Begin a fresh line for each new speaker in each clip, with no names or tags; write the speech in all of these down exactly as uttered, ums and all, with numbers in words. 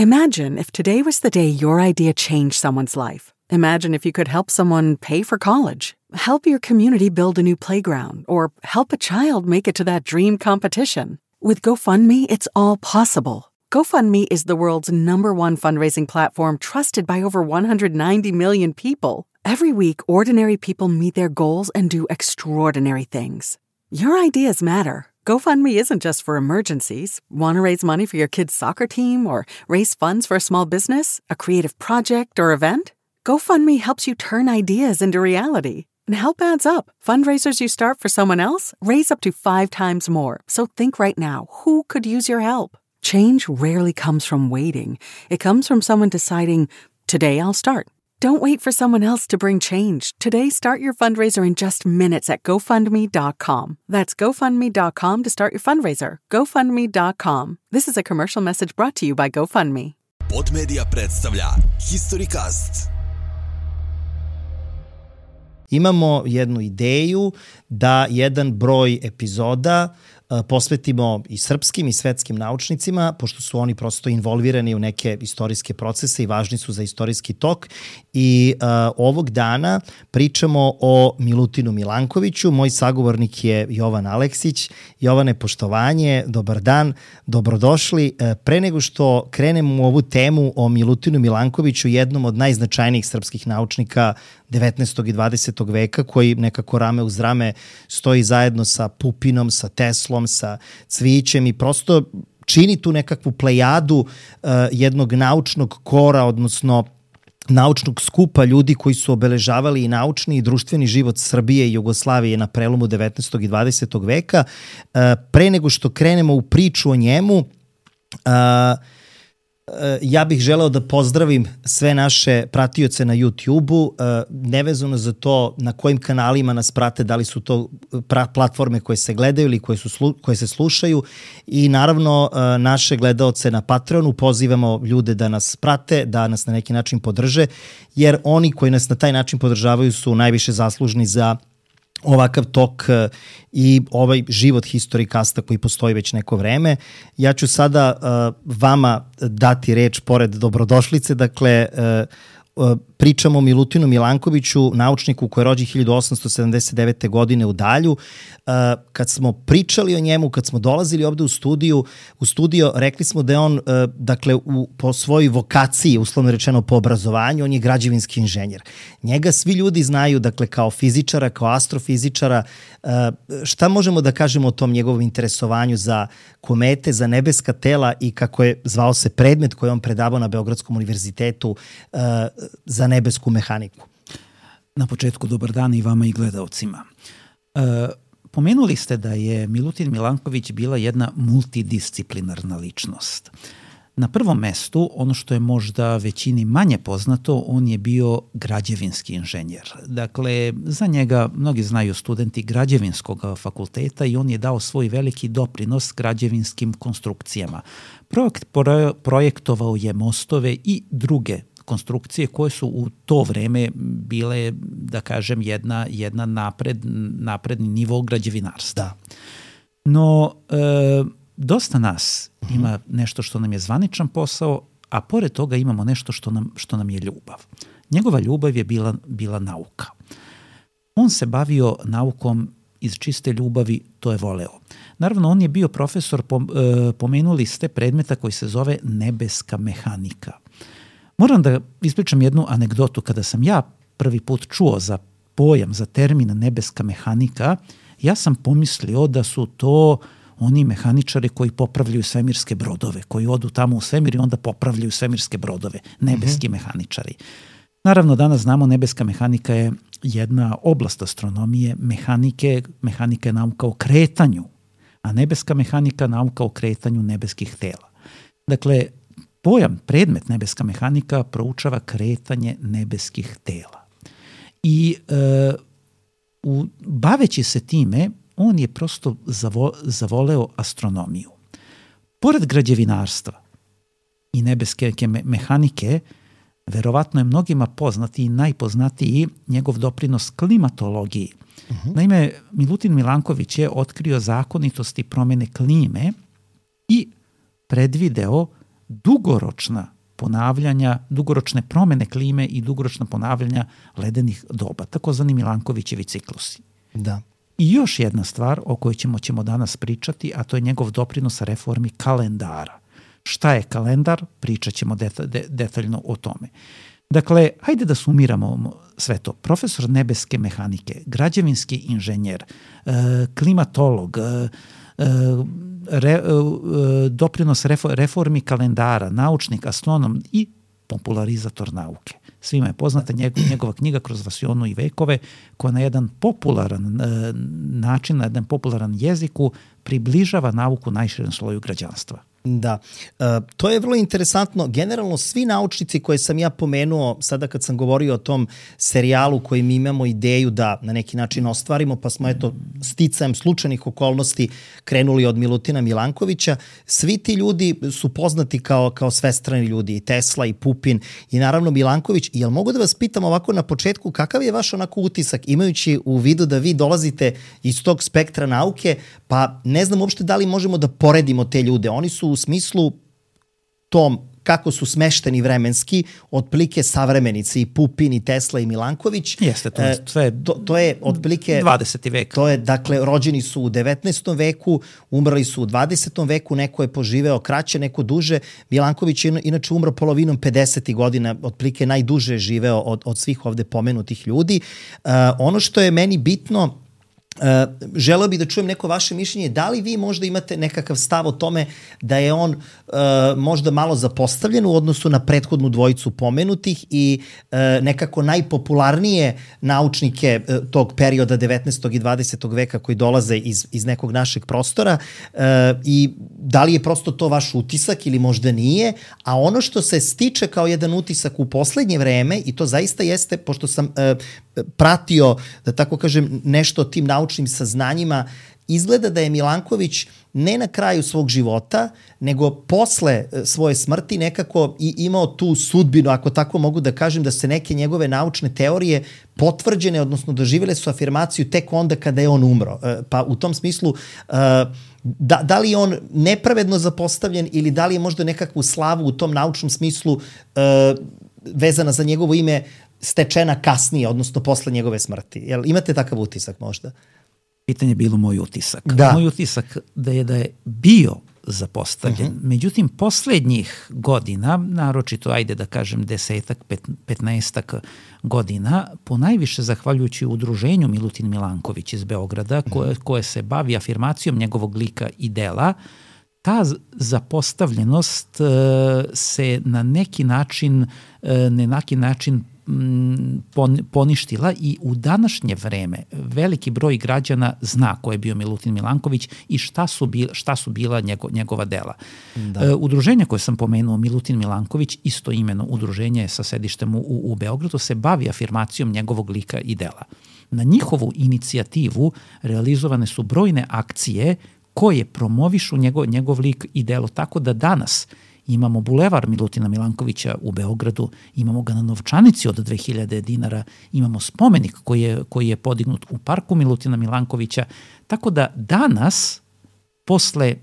Imagine if today was the day your idea changed someone's life. Imagine if you could help someone pay for college, help your community build a new playground, or help a child make it to that dream competition. With GoFundMe, it's all possible. GoFundMe is the world's number one fundraising platform trusted by over one hundred ninety million people. Every week, ordinary people meet their goals and do extraordinary things. Your ideas matter. GoFundMe isn't just for emergencies. Want to raise money for your kid's soccer team or raise funds for a small business, a creative project, or event? GoFundMe helps you turn ideas into reality. And help adds up. Fundraisers you start for someone else raise up to five times more. So think right now, who could use your help? Change rarely comes from waiting. It comes from someone deciding, today I'll start. Don't wait for someone else to bring change. Today, start your fundraiser in just minutes at GoFundMe dot com. That's GoFundMe dot com to start your fundraiser. GoFundMe dot com. This is a commercial message brought to you by GoFundMe.
Podmedia predstavlja Historycast.
Imamo jednu ideju da jedan broj epizoda posvetimo i srpskim i svetskim naučnicima, pošto su oni prosto involvirani u neke istorijske procese i važni su za istorijski tok. I uh, ovog dana pričamo o Milutinu Milankoviću. Moj sagovornik je Jovan Aleksić. Jovane, poštovanje, dobar dan, dobrodošli. Uh, pre nego što krenemo u ovu temu o Milutinu Milankoviću, jednom od najznačajnijih srpskih naučnika devetnaestog i dvadesetog veka, koji nekako rame uz rame stoji zajedno sa Pupinom, sa Teslom, sa Cvijićem i prosto čini tu nekakvu plejadu uh, jednog naučnog kora, odnosno naučnog skupa ljudi koji su obeležavali i naučni i društveni život Srbije i Jugoslavije na prelomu devetnaestog i dvadesetog veka. Uh, pre nego što krenemo u priču o njemu, uh, ja bih želeo da pozdravim sve naše pratioce na YouTube-u, nevezano za to na kojim kanalima nas prate, da li su to platforme koje se gledaju ili koje, su, koje se slušaju, i naravno naše gledaoce na Patreonu. Pozivamo ljude da nas prate, da nas na neki način podrže, jer oni koji nas na taj način podržavaju su najviše zaslužni za ovakav tok i ovaj život Historycasta koji postoji već neko vreme. Ja ću sada uh, vama dati reč pored dobrodošlice. Dakle, uh, uh, pričamo o Milutinu Milankoviću, naučniku koji je rođen hiljadu osamsto sedamdeset devete. godine u Dalju. Uh, kad smo pričali o njemu, kad smo dolazili ovde u studiju, u studio, rekli smo da je on, uh, dakle, u, po svojoj vokaciji, uslovno rečeno po obrazovanju, on je građevinski inženjer. Njega svi ljudi znaju, dakle, kao fizičara, kao astrofizičara. Uh, šta možemo da kažemo o tom njegovom interesovanju za komete, za nebeska tela i kako je zvao se predmet koji on predavao na Beogradskom univerzitetu, uh, za nebesku mehaniku?
Na početku dobar dan i vama i gledaocima. Uh, Pomenuli ste da je Milutin Milanković bila jedna multidisciplinarna ličnost. Na prvom mestu, ono što je možda većini manje poznato, on je bio građevinski inženjer. Dakle, za njega mnogi znaju studenti građevinskog fakulteta i on je dao svoj veliki doprinos građevinskim konstrukcijama. Projekt, projektovao je mostove i druge konstrukcije koje su u to vreme bile, da kažem, jedna, jedna napred, napredni nivo građevinarstva. Da. No, e, dosta nas uh-huh. ima nešto što nam je zvaničan posao, a pored toga imamo nešto što nam, što nam je ljubav. Njegova ljubav je bila, bila nauka. On se bavio naukom iz čiste ljubavi, to je voleo. Naravno, on je bio profesor, pomenuli ste, predmeta koji se zove nebeska mehanika. Moram da ispričam jednu anegdotu. Kada sam ja prvi put čuo za pojam, za termin nebeska mehanika, ja sam pomislio da su to oni mehaničari koji popravljaju svemirske brodove, koji odu tamo u svemir i onda popravljaju svemirske brodove, nebeski mm-hmm. mehaničari. Naravno, danas znamo, nebeska mehanika je jedna oblast astronomije, mehanike, mehanika je nauka o kretanju, a nebeska mehanika nauka o kretanju nebeskih tela. Dakle, pojam, predmet nebeska mehanika proučava kretanje nebeskih tela. I e, u, baveći se time, on je prosto zavo, zavoleo astronomiju. Pored građevinarstva i nebeske me, mehanike, verovatno je mnogima poznati i najpoznatiji njegov doprinos klimatologiji. Uh-huh. Naime, Milutin Milanković je otkrio zakonitosti promene klime i predvideo dugoročna ponavljanja, dugoročne promene klime i dugoročna ponavljanja ledenih doba, takozvani Milankovićevi ciklusi.
Da.
I još jedna stvar o kojoj ćemo, ćemo danas pričati, a to je njegov doprinos reformi kalendara. Šta je kalendar? Pričat ćemo deta, de, detaljno o tome. Dakle, hajde da sumiramo sve to. Profesor nebeske mehanike, građevinski inženjer, e, klimatolog, e, re, e, doprinos reformi kalendara, naučnik, astronom i popularizator nauke. Svima je poznata njegov, njegova knjiga Kroz vasionu i vekove, koja na jedan popularan e, način, na jedan popularan jeziku približava nauku najširem sloju građanstva.
Da, e, to je vrlo interesantno. Generalno svi naučnici koje sam ja pomenuo sada kad sam govorio o tom serijalu koji mi imamo ideju da na neki način ostvarimo, pa smo eto sticajem slučajnih okolnosti krenuli od Milutina Milankovića, svi ti ljudi su poznati kao, kao svestrani ljudi, i Tesla i Pupin i naravno Milanković. Jel mogu da vas pitam ovako na početku, kakav je vaš onako utisak imajući u vidu da vi dolazite iz tog spektra nauke, pa ne znam uopšte da li možemo da poredimo te ljude. Oni su u smislu tom kako su smešteni vremenski, otprilike savremenici i Pupin i Tesla i Milanković.
Jeste, to je sve
to, to je otprilike
dvadeseti vek.
To je, dakle, rođeni su u devetnaestom veku, umrli su u dvadesetom veku, neko je poživeo kraće, neko duže. Milanković je inače umro polovinom pedesetih godina, otprilike najduže je živeo od, od svih ovde pomenutih ljudi. Uh, ono što je meni bitno, Uh, želeo bih da čujem neko vaše mišljenje, da li vi možda imate nekakav stav o tome da je on uh, možda malo zapostavljen u odnosu na prethodnu dvojicu pomenutih i uh, nekako najpopularnije naučnike uh, tog perioda devetnaestog i dvadesetog veka koji dolaze iz, iz nekog našeg prostora uh, i da li je prosto to vaš utisak ili možda nije, a ono što se stiče kao jedan utisak u poslednje vreme, i to zaista jeste, pošto sam uh, pratio, da tako kažem, nešto o tim naučnim saznanjima, izgleda da je Milanković ne na kraju svog života, nego posle svoje smrti nekako i imao tu sudbinu, ako tako mogu da kažem, da se neke njegove naučne teorije potvrđene, odnosno doživjele su afirmaciju tek onda kada je on umro. Pa u tom smislu, da, da li je on nepravedno zapostavljen ili da li je možda nekakvu slavu u tom naučnom smislu vezana za njegovo ime stečena kasnije, odnosno posle njegove smrti. Jel imate takav utisak možda?
Pitanje je bilo moj utisak.
Da.
Moj utisak da je da je bio zapostavljen. Uh-huh. Međutim, poslednjih godina, naročito, ajde da kažem, desetak, pet, petnaestak godina, ponajviše zahvaljujući udruženju Milutin Milanković iz Beograda, koje, koje se bavi afirmacijom njegovog lika i dela, ta zapostavljenost uh, se na neki način, uh, na neki način poništila i u današnje vreme veliki broj građana zna ko je bio Milutin Milanković i šta su, bila, šta su bila njego, njegova dela. Da. E, udruženje koje sam pomenuo, Milutin Milanković, isto imeno udruženje sa sedištem u, u Beogradu, se bavi afirmacijom njegovog lika i dela. Na njihovu inicijativu realizovane su brojne akcije koje promovišu njegov, njegov lik i delo, tako da danas imamo bulevar Milutina Milankovića u Beogradu, imamo ga na novčanici od dve hiljade dinara, imamo spomenik koji je, koji je podignut u parku Milutina Milankovića, tako da danas, posle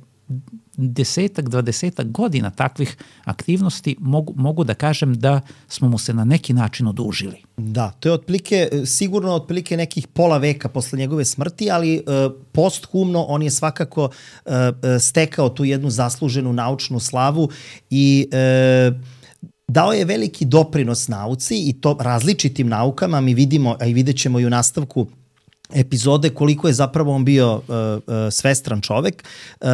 desetak, dvadesetak godina takvih aktivnosti, mogu, mogu da kažem da smo mu se na neki način odužili.
Da, to je otprilike, sigurno otprilike nekih pola veka posle njegove smrti, ali e, posthumno on je svakako e, stekao tu jednu zasluženu naučnu slavu i e, dao je veliki doprinos nauci i to različitim naukama. Mi vidimo, a i vidjet ćemo i u nastavku epizode koliko je zapravo on bio uh, uh, svestran čovek. Uh,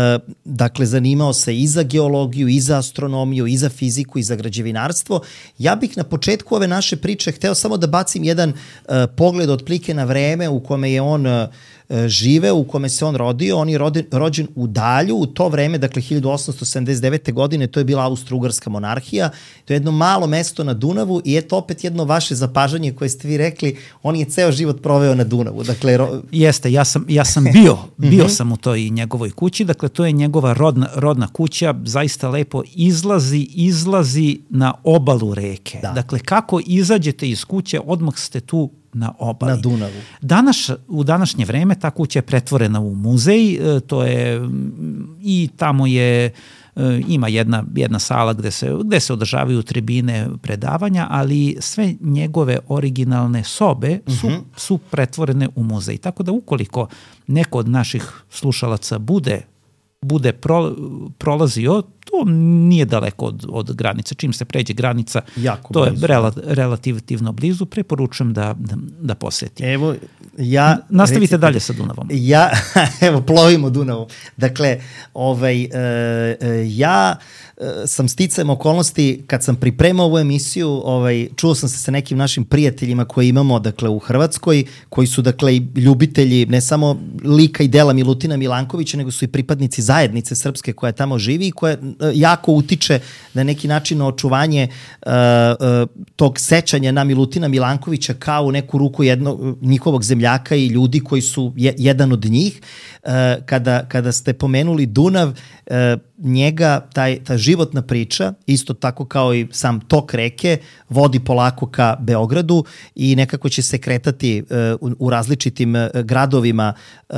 dakle, zanimao se i za geologiju, i za astronomiju, i za fiziku, i za građevinarstvo. Ja bih na početku ove naše priče hteo samo da bacim jedan uh, pogled otprilike na vreme u kome je on uh, živeo, u kome se on rodio. On je roden, rođen u Dalju, u to vreme, dakle hiljadu osamsto sedamdeset devete. godine, to je bila Austro-Ugarska monarhija. To je jedno malo mesto na Dunavu i eto opet jedno vaše zapažanje koje ste vi rekli, on je ceo život proveo na Dunavu. Dakle, ro...
Jeste, ja sam, ja sam bio, bio sam u toj njegovoj kući, dakle to je njegova rodna, rodna kuća, zaista lepo izlazi, izlazi na obalu reke. Da. Dakle, kako izađete iz kuće, odmah ste tu na obali.
Na Dunavu.
Danas, u današnje vreme ta kuća je pretvorena u muzej, to je i tamo je ima jedna, jedna sala gde se, gde se održavaju tribine predavanja, ali sve njegove originalne sobe su, uh-huh. su pretvorene u muzej. Tako da ukoliko neko od naših slušalaca bude bude pro, prolazio, to nije daleko od, od granice. Čim se pređe granica, jako to blizu. Je rela, relativno blizu, preporučujem da, da, da posjeti.
Evo, ja...
Nastavite recite,
dalje
sa Dunavom.
Ja, evo, plovimo Dunavom. Dakle, ovaj, e, ja e, sam sticajem okolnosti, kad sam pripremao ovu emisiju, ovaj, čuo sam se sa nekim našim prijateljima koje imamo, dakle, u Hrvatskoj, koji su, dakle, ljubitelji ne samo lika i dela Milutina Milankovića, nego su i pripadnici zajednice srpske koja tamo živi i koja jako utiče na neki način na očuvanje uh, uh, tog sećanja na Milutina Milankovića kao u neku ruku jednog njihovog zemljaka i ljudi koji su je, jedan od njih. Uh, kada, kada ste pomenuli Dunav, uh, njega, taj, ta životna priča, isto tako kao i sam tok reke, vodi polako ka Beogradu i nekako će se kretati uh, u, u različitim uh, gradovima, uh,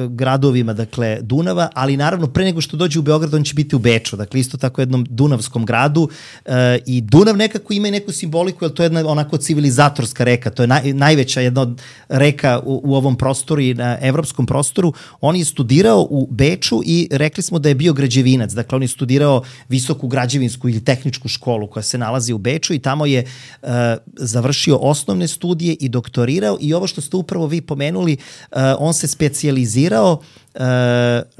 gradovima, dakle, Dunava, ali naravno pre nego što dođe u Beograd, on će biti u Beču, dakle, isto tako jednom dunavskom gradu uh, i Dunav nekako ima i neku simboliku, jer to je jedna onako civilizatorska reka, to je naj, najveća jedna od reka u, u ovom prostoru i na evropskom prostoru. On je studirao u Beču i rekli smo da je bio građevinac, dakle on je studirao visoku građevinsku ili tehničku školu koja se nalazi u Beču i tamo je uh, završio osnovne studije i doktorirao i ovo što ste upravo vi pomenuli, uh, on se specijalizirao uh,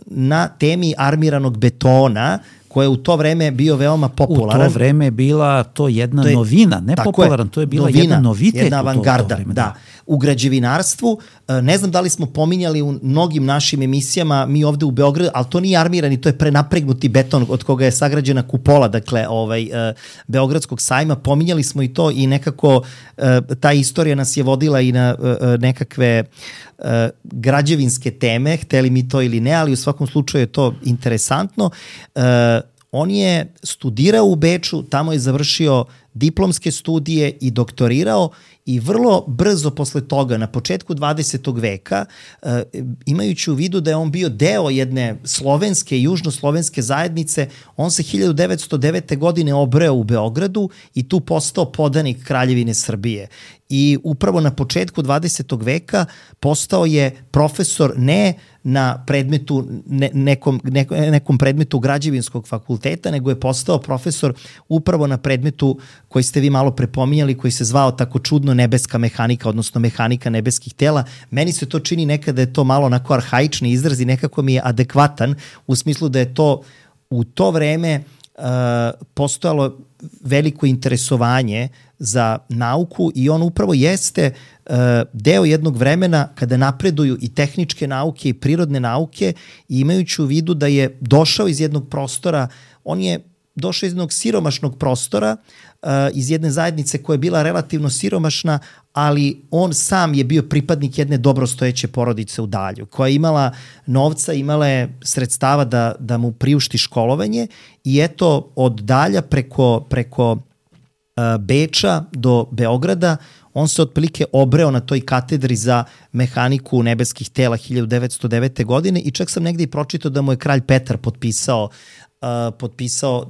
na temi armiranog betona, koja je u to vreme bio veoma popularan.
U to vreme je bila to jedna to je, novina, ne popularan, je, to je bila novina, jedna novitet
jedna avangarda,
u to, to vreme,
da. da. U građevinarstvu, ne znam da li smo pominjali u mnogim našim emisijama, mi ovde u Beogradu, ali to nije armirani, to je prenapregnuti beton od koga je sagrađena kupola, dakle, ovaj, Beogradskog sajma, pominjali smo i to i nekako ta istorija nas je vodila i na nekakve građevinske teme, hteli mi to ili ne, ali u svakom slučaju je to interesantno. On je studirao u Beču, tamo je završio diplomske studije i doktorirao i vrlo brzo posle toga, na početku dvadesetog veka, imajući u vidu da je on bio deo jedne slovenske, južnoslovenske zajednice, on se hiljadu devetsto devete. godine obreo u Beogradu i tu postao podanik Kraljevine Srbije. I upravo na početku dvadesetog veka postao je profesor ne na predmetu, ne, nekom, ne, nekom predmetu građevinskog fakulteta, nego je postao profesor upravo na predmetu koji ste vi malo prepominjali, koji se zvao tako čudno nebeska mehanika, odnosno mehanika nebeskih tela. Meni se to čini nekada je to malo onako arhaični izraz i nekako mi je adekvatan u smislu da je to u to vreme uh, postojalo veliko interesovanje za nauku i on upravo jeste uh, deo jednog vremena kada napreduju i tehničke nauke i prirodne nauke i imajući u vidu da je došao iz jednog prostora, on je došao iz jednog siromašnog prostora, uh, iz jedne zajednice koja je bila relativno siromašna, ali on sam je bio pripadnik jedne dobrostojeće porodice u Dalju, koja je imala novca, imala je sredstava da, da mu priušti školovanje i eto od Dalja preko, preko uh, Beča do Beograda on se otprilike obreo na toj katedri za mehaniku nebeskih tela hiljadu devetsto devete. godine i čak sam negde i pročitao da mu je kralj Petar potpisao Uh, potpisao uh,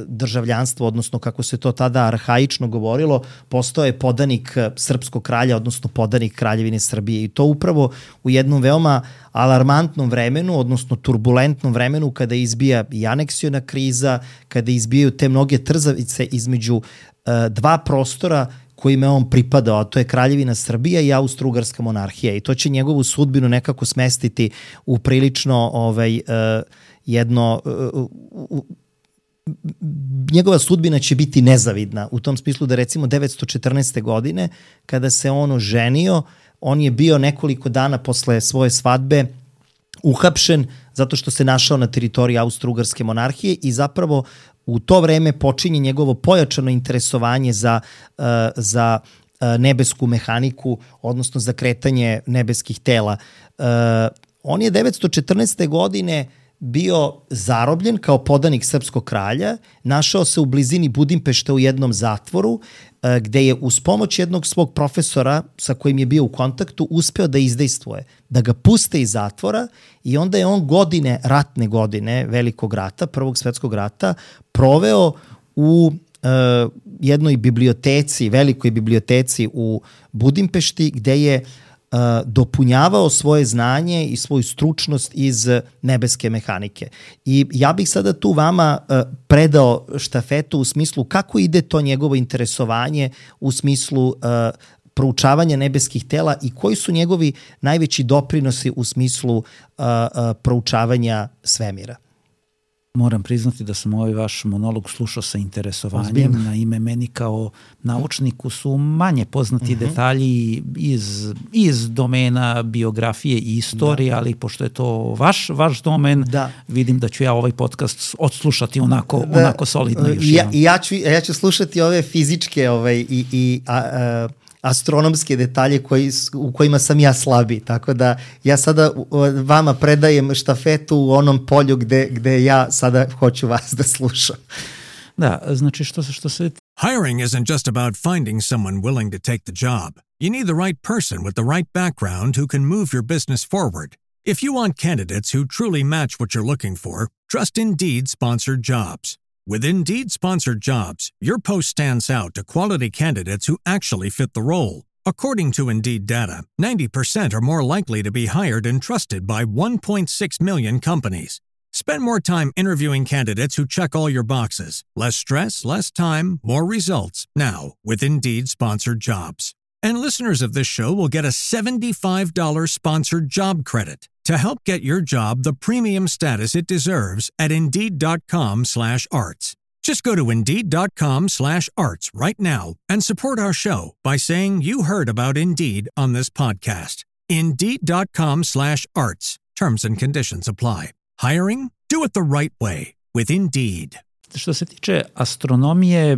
državljanstvo, odnosno kako se to tada arhaično govorilo, postao je podanik srpskog kralja, odnosno podanik Kraljevine Srbije i to upravo u jednom veoma alarmantnom vremenu, odnosno turbulentnom vremenu kada izbija i aneksiona kriza, kada izbijaju te mnoge trzavice između uh, dva prostora kojima je on pripadao, a to je Kraljevina Srbija i Austro-Ugarska monarhija i to će njegovu sudbinu nekako smestiti u prilično ovaj, uh, jedno, uh, uh, njegova sudbina će biti nezavidna u tom smislu da recimo devetsto četrnaeste. godine kada se on oženio, on je bio nekoliko dana posle svoje svadbe uhapšen zato što se našao na teritoriji Austro-Ugarske monarhije i zapravo u to vreme počinje njegovo pojačano interesovanje za, uh, za uh, nebesku mehaniku, odnosno za kretanje nebeskih tela. Uh, on je devetsto četrnaeste. godine bio zarobljen kao podanik srpskog kralja, našao se u blizini Budimpešte u jednom zatvoru, gde je uz pomoć jednog svog profesora sa kojim je bio u kontaktu uspeo da izdejstvuje, da ga puste iz zatvora i onda je on godine, ratne godine, velikog rata, prvog svetskog rata, proveo u uh, jednoj biblioteci, velikoj biblioteci u Budimpešti, gde je uh, dopunjavao svoje znanje i svoju stručnost iz nebeske mehanike. I ja bih sada tu vama uh, predao štafetu u smislu kako ide to njegovo interesovanje u smislu uh, proučavanja nebeskih tela i koji su njegovi najveći doprinosi u smislu uh, uh, proučavanja svemira.
Moram priznati da sam ovaj vaš monolog slušao sa interesovanjem. Ozbiljno. Na ime meni kao naučniku su manje poznati uh-huh. detalji iz, iz domena biografije i istorije, da. Ali pošto je to vaš, vaš domen, da. Vidim da ću ja ovaj podcast odslušati onako, da. Onako solidno još
ja, ja, ću, ja ću slušati ove fizičke ovaj, i, i a, a, astronomske detalje koji, u kojima sam ja slabi, tako da ja sada vama predajem štafetu u onom polju gde, gde ja sada hoću vas da slušam.
Da, znači što se, što se...
Hiring isn't just about finding someone willing to take the job. You need the right person with the right background who can move your business forward. If you want candidates who truly match what you're looking for, trust Indeed sponsored jobs. With Indeed sponsored jobs, your post stands out to quality candidates who actually fit the role. According to Indeed data, ninety percent are more likely to be hired and trusted by one point six million companies. Spend more time interviewing candidates who check all your boxes. Less stress, less time, more results. Now, with Indeed sponsored jobs. And listeners of this show will get a seventy-five dollars sponsored job credit to help get your job the premium status it deserves at Indeed.com slash arts. Just go to Indeed.com slash arts right now and support our show by saying you heard about Indeed on this podcast. Indeed.com slash arts. Terms and conditions apply. Hiring? Do it the right way with Indeed.
Što se tiče astronomije,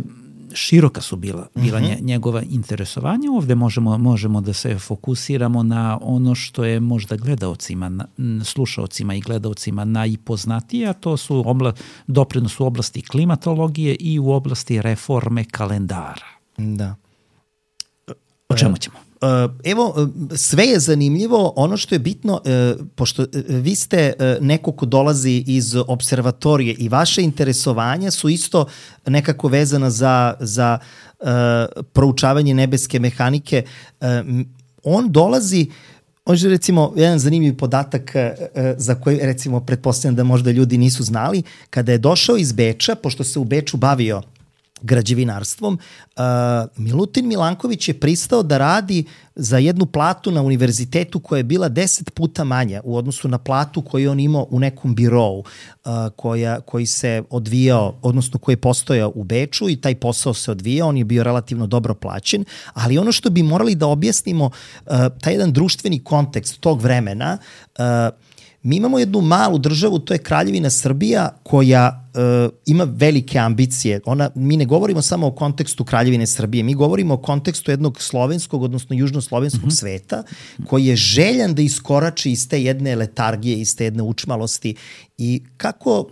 široka su bila, bila mm-hmm. njegova interesovanja. Ovde možemo, možemo da se fokusiramo na ono što je možda gledaocima, slušaocima i gledaocima najpoznatije, a to su obla, doprinos u oblasti klimatologije i u oblasti reforme kalendara.
Da.
O čemu ćemo?
Evo, sve je zanimljivo. Ono što je bitno, pošto vi ste neko ko dolazi iz observatorije i vaše interesovanja su isto nekako vezana za, za proučavanje nebeske mehanike. On dolazi, možda recimo jedan zanimljiv podatak za koji recimo pretpostavljam da možda ljudi nisu znali, kada je došao iz Beča, pošto se u Beču bavio građevinarstvom, uh, Milutin Milanković je pristao da radi za jednu platu na univerzitetu koja je bila deset puta manja u odnosu na platu koju on imao u nekom birovu uh, koja, koji se odvijao, odnosno koji je postojao u Beču i taj posao se odvijao, on je bio relativno dobro plaćen, ali ono što bi morali da objasnimo, uh, taj jedan društveni kontekst tog vremena, uh, mi imamo jednu malu državu, to je Kraljevina Srbija, koja uh, ima velike ambicije. Ona, mi ne govorimo samo o kontekstu Kraljevine Srbije, mi govorimo o kontekstu jednog slovenskog, odnosno južnoslovenskog mm-hmm. sveta, koji je željan da iskorači iz te jedne letargije, iz te jedne učmalosti. I kako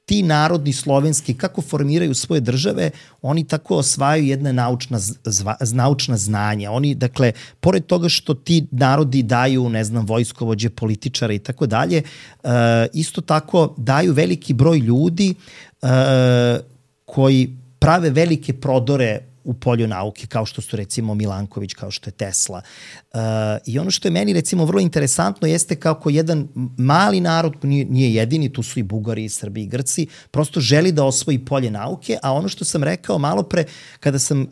ti narodni slovenski, kako formiraju svoje države, oni tako osvajaju jedna naučna, zva, naučna znanja. Oni, dakle, pored toga što ti narodi daju, ne znam, vojskovođe, političare i tako dalje, isto tako daju veliki broj ljudi uh, koji prave velike prodore u polju nauke, kao što su recimo Milanković, kao što je Tesla. Uh, I ono što je meni recimo vrlo interesantno jeste kako jedan mali narod, nije, nije jedini, tu su i Bugari, i Srbi, i Grci, prosto želi da osvoji polje nauke, a ono što sam rekao malo pre, kada sam uh,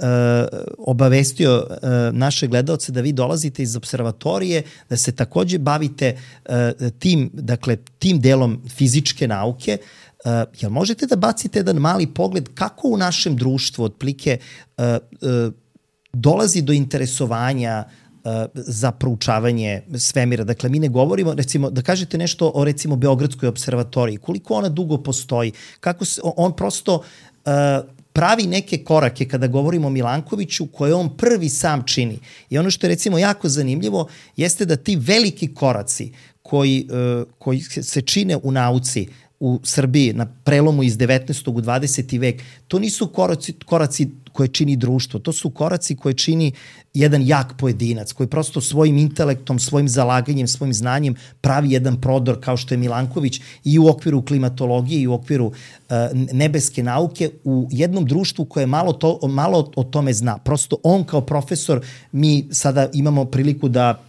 obavestio uh, naše gledaoce da vi dolazite iz observatorije, da se takođe bavite uh, tim, dakle, tim delom fizičke nauke, Uh, jel možete da bacite jedan mali pogled kako u našem društvu otplike uh, uh, dolazi do interesovanja uh, za proučavanje svemira? Dakle, mi ne govorimo, recimo, da kažete nešto o recimo Beogradskoj observatoriji, koliko ona dugo postoji, kako se, on prosto uh, pravi neke korake kada govorimo o Milankoviću koje on prvi sam čini. I ono što je recimo jako zanimljivo jeste da ti veliki koraci koji, koji se čine u nauci u Srbiji na prelomu iz devetnaestog u dvadeseti vek, to nisu koraci, koraci koje čini društvo, to su koraci koje čini jedan jak pojedinac, koji prosto svojim intelektom, svojim zalaganjem, svojim znanjem pravi jedan prodor kao što je Milanković i u okviru klimatologije i u okviru uh, nebeske nauke u jednom društvu koje malo, to, malo o tome zna. Prosto on kao profesor, mi sada imamo priliku da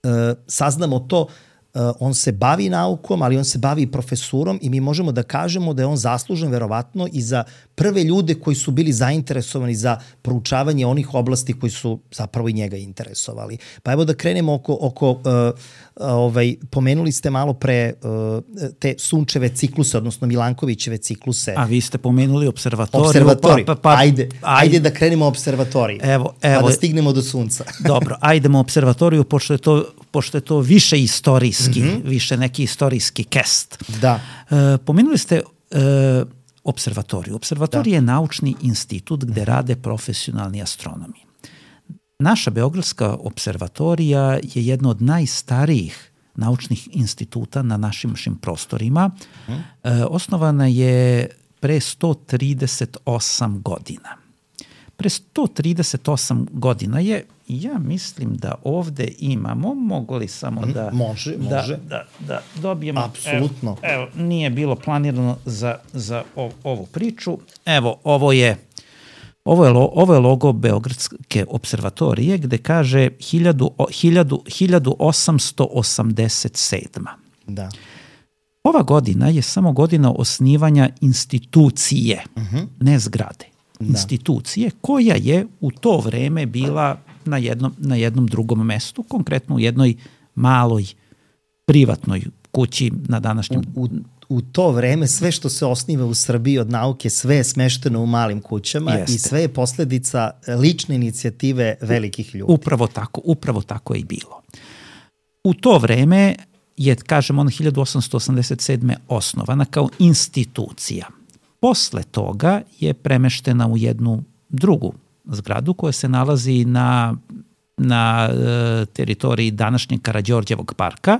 uh, saznamo to. Uh, on se bavi naukom, ali on se bavi i profesurom i mi možemo da kažemo da je on zaslužen verovatno i za prve ljude koji su bili zainteresovani za proučavanje onih oblasti koji su zapravo i njega interesovali. Pa evo da krenemo oko, oko uh, ovaj, pomenuli ste malo pre uh, te sunčeve cikluse, odnosno Milankovićeve cikluse.
A vi ste pomenuli observatoriju.
Observatoriju.
Pa, pa, pa,
ajde, ajde,
ajde
da krenemo observatoriji.
Evo, evo,
pa da stignemo do sunca.
Dobro, ajdemo observatoriju, pošto je to, pošto je to više istorijski, mm-hmm. više neki istorijski kest.
Da.
E, pomenuli ste e, observatoriju. Observatorija da. je naučni institut gde rade profesionalni astronomi. Naša Beogradska observatorija je jedna od najstarijih naučnih instituta na našim našim prostorima. Mm. E, osnovana je pre sto trideset osam godina. Pre sto trideset osam godina je, ja mislim da ovde imamo, mogu li samo da...
Može,
da,
može.
Da, da dobijemo...
Apsolutno.
Evo, evo, nije bilo planirano za, za ov, ovu priču. Evo, ovo je, ovo je, lo, ovo je logo Beogradske observatorije gde kaže hiljadu osamsto osamdeset sedma.
Da.
Ova godina je samo godina osnivanja institucije, uh-huh. ne zgrade. Institucije, da. koja je u to vreme bila na jednom, na jednom drugom mestu, konkretno u jednoj maloj privatnoj kući na današnjem...
U, u, u to vreme sve što se osniva u Srbiji od nauke, sve je smešteno u malim kućama. Jeste. I sve je posledica lične inicijative velikih ljudi.
Upravo tako, upravo tako je i bilo. U to vreme je, kažem, ona hiljadu osamsto osamdeset sedme osnovana kao institucija. Posle toga je premeštena u jednu drugu zgradu koja se nalazi na, na e, teritoriji današnjeg Karađorđevog parka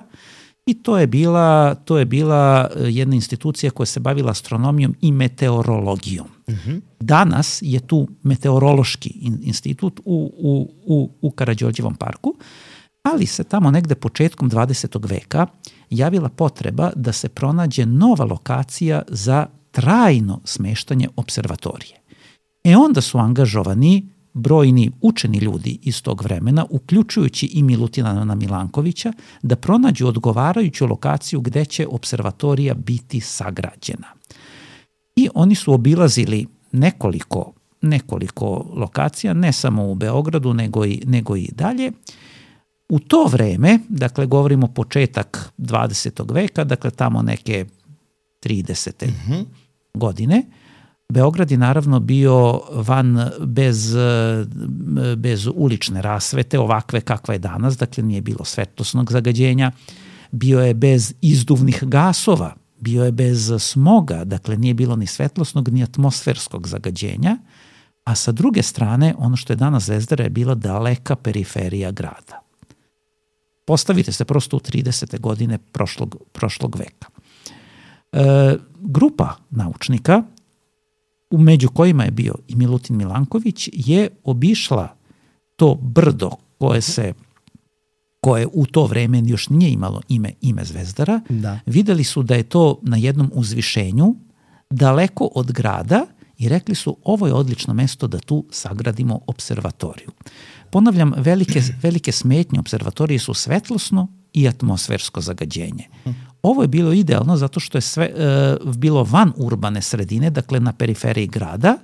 i to je bila, to je bila jedna institucija koja se bavila astronomijom i meteorologijom. Mm-hmm. Danas je tu meteorološki institut u, u, u, u Karađorđevom parku, ali se tamo negde početkom dvadesetog veka javila potreba da se pronađe nova lokacija za trajno smeštanje observatorije. E onda su angažovani brojni učeni ljudi iz tog vremena, uključujući i Milutina Milankovića, da pronađu odgovarajuću lokaciju gde će observatorija biti sagrađena. I oni su obilazili nekoliko, nekoliko lokacija, ne samo u Beogradu, nego i, nego i dalje. U to vreme, dakle govorimo početak dvadesetog veka, dakle tamo neke tridesete Mm-hmm. godine, Beograd je naravno bio van bez, bez ulične rasvete, ovakve kakva je danas, dakle nije bilo svetlosnog zagađenja, bio je bez izduvnih gasova, bio je bez smoga, dakle nije bilo ni svetlosnog ni atmosferskog zagađenja, a sa druge strane ono što je danas Zvezdara je bila daleka periferija grada. Postavite se prosto u tridesete godine prošlog, prošlog veka. E, grupa naučnika, među kojima je bio i Milutin Milanković, je obišla to brdo koje se koje u to vreme još nije imalo ime, ime Zvezdara. Da. Videli su da je to na jednom uzvišenju, daleko od grada i rekli su ovo je odlično mesto da tu sagradimo observatoriju. Ponavljam, velike, velike smetnje observatorije su svetlosno i atmosfersko zagađenje. Ovo je bilo idealno zato što je sve e, bilo van urbane sredine, dakle na periferiji grada,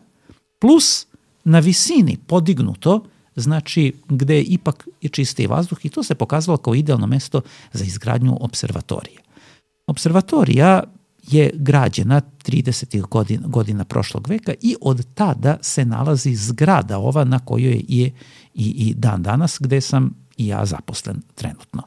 plus na visini podignuto, znači gde je ipak je čistiji vazduh i to se pokazalo kao idealno mesto za izgradnju observatorije. Observatorija je građena tridesetih godina, godina prošlog veka i od tada se nalazi zgrada ova na kojoj je i, i dan danas gde sam i ja zaposlen trenutno.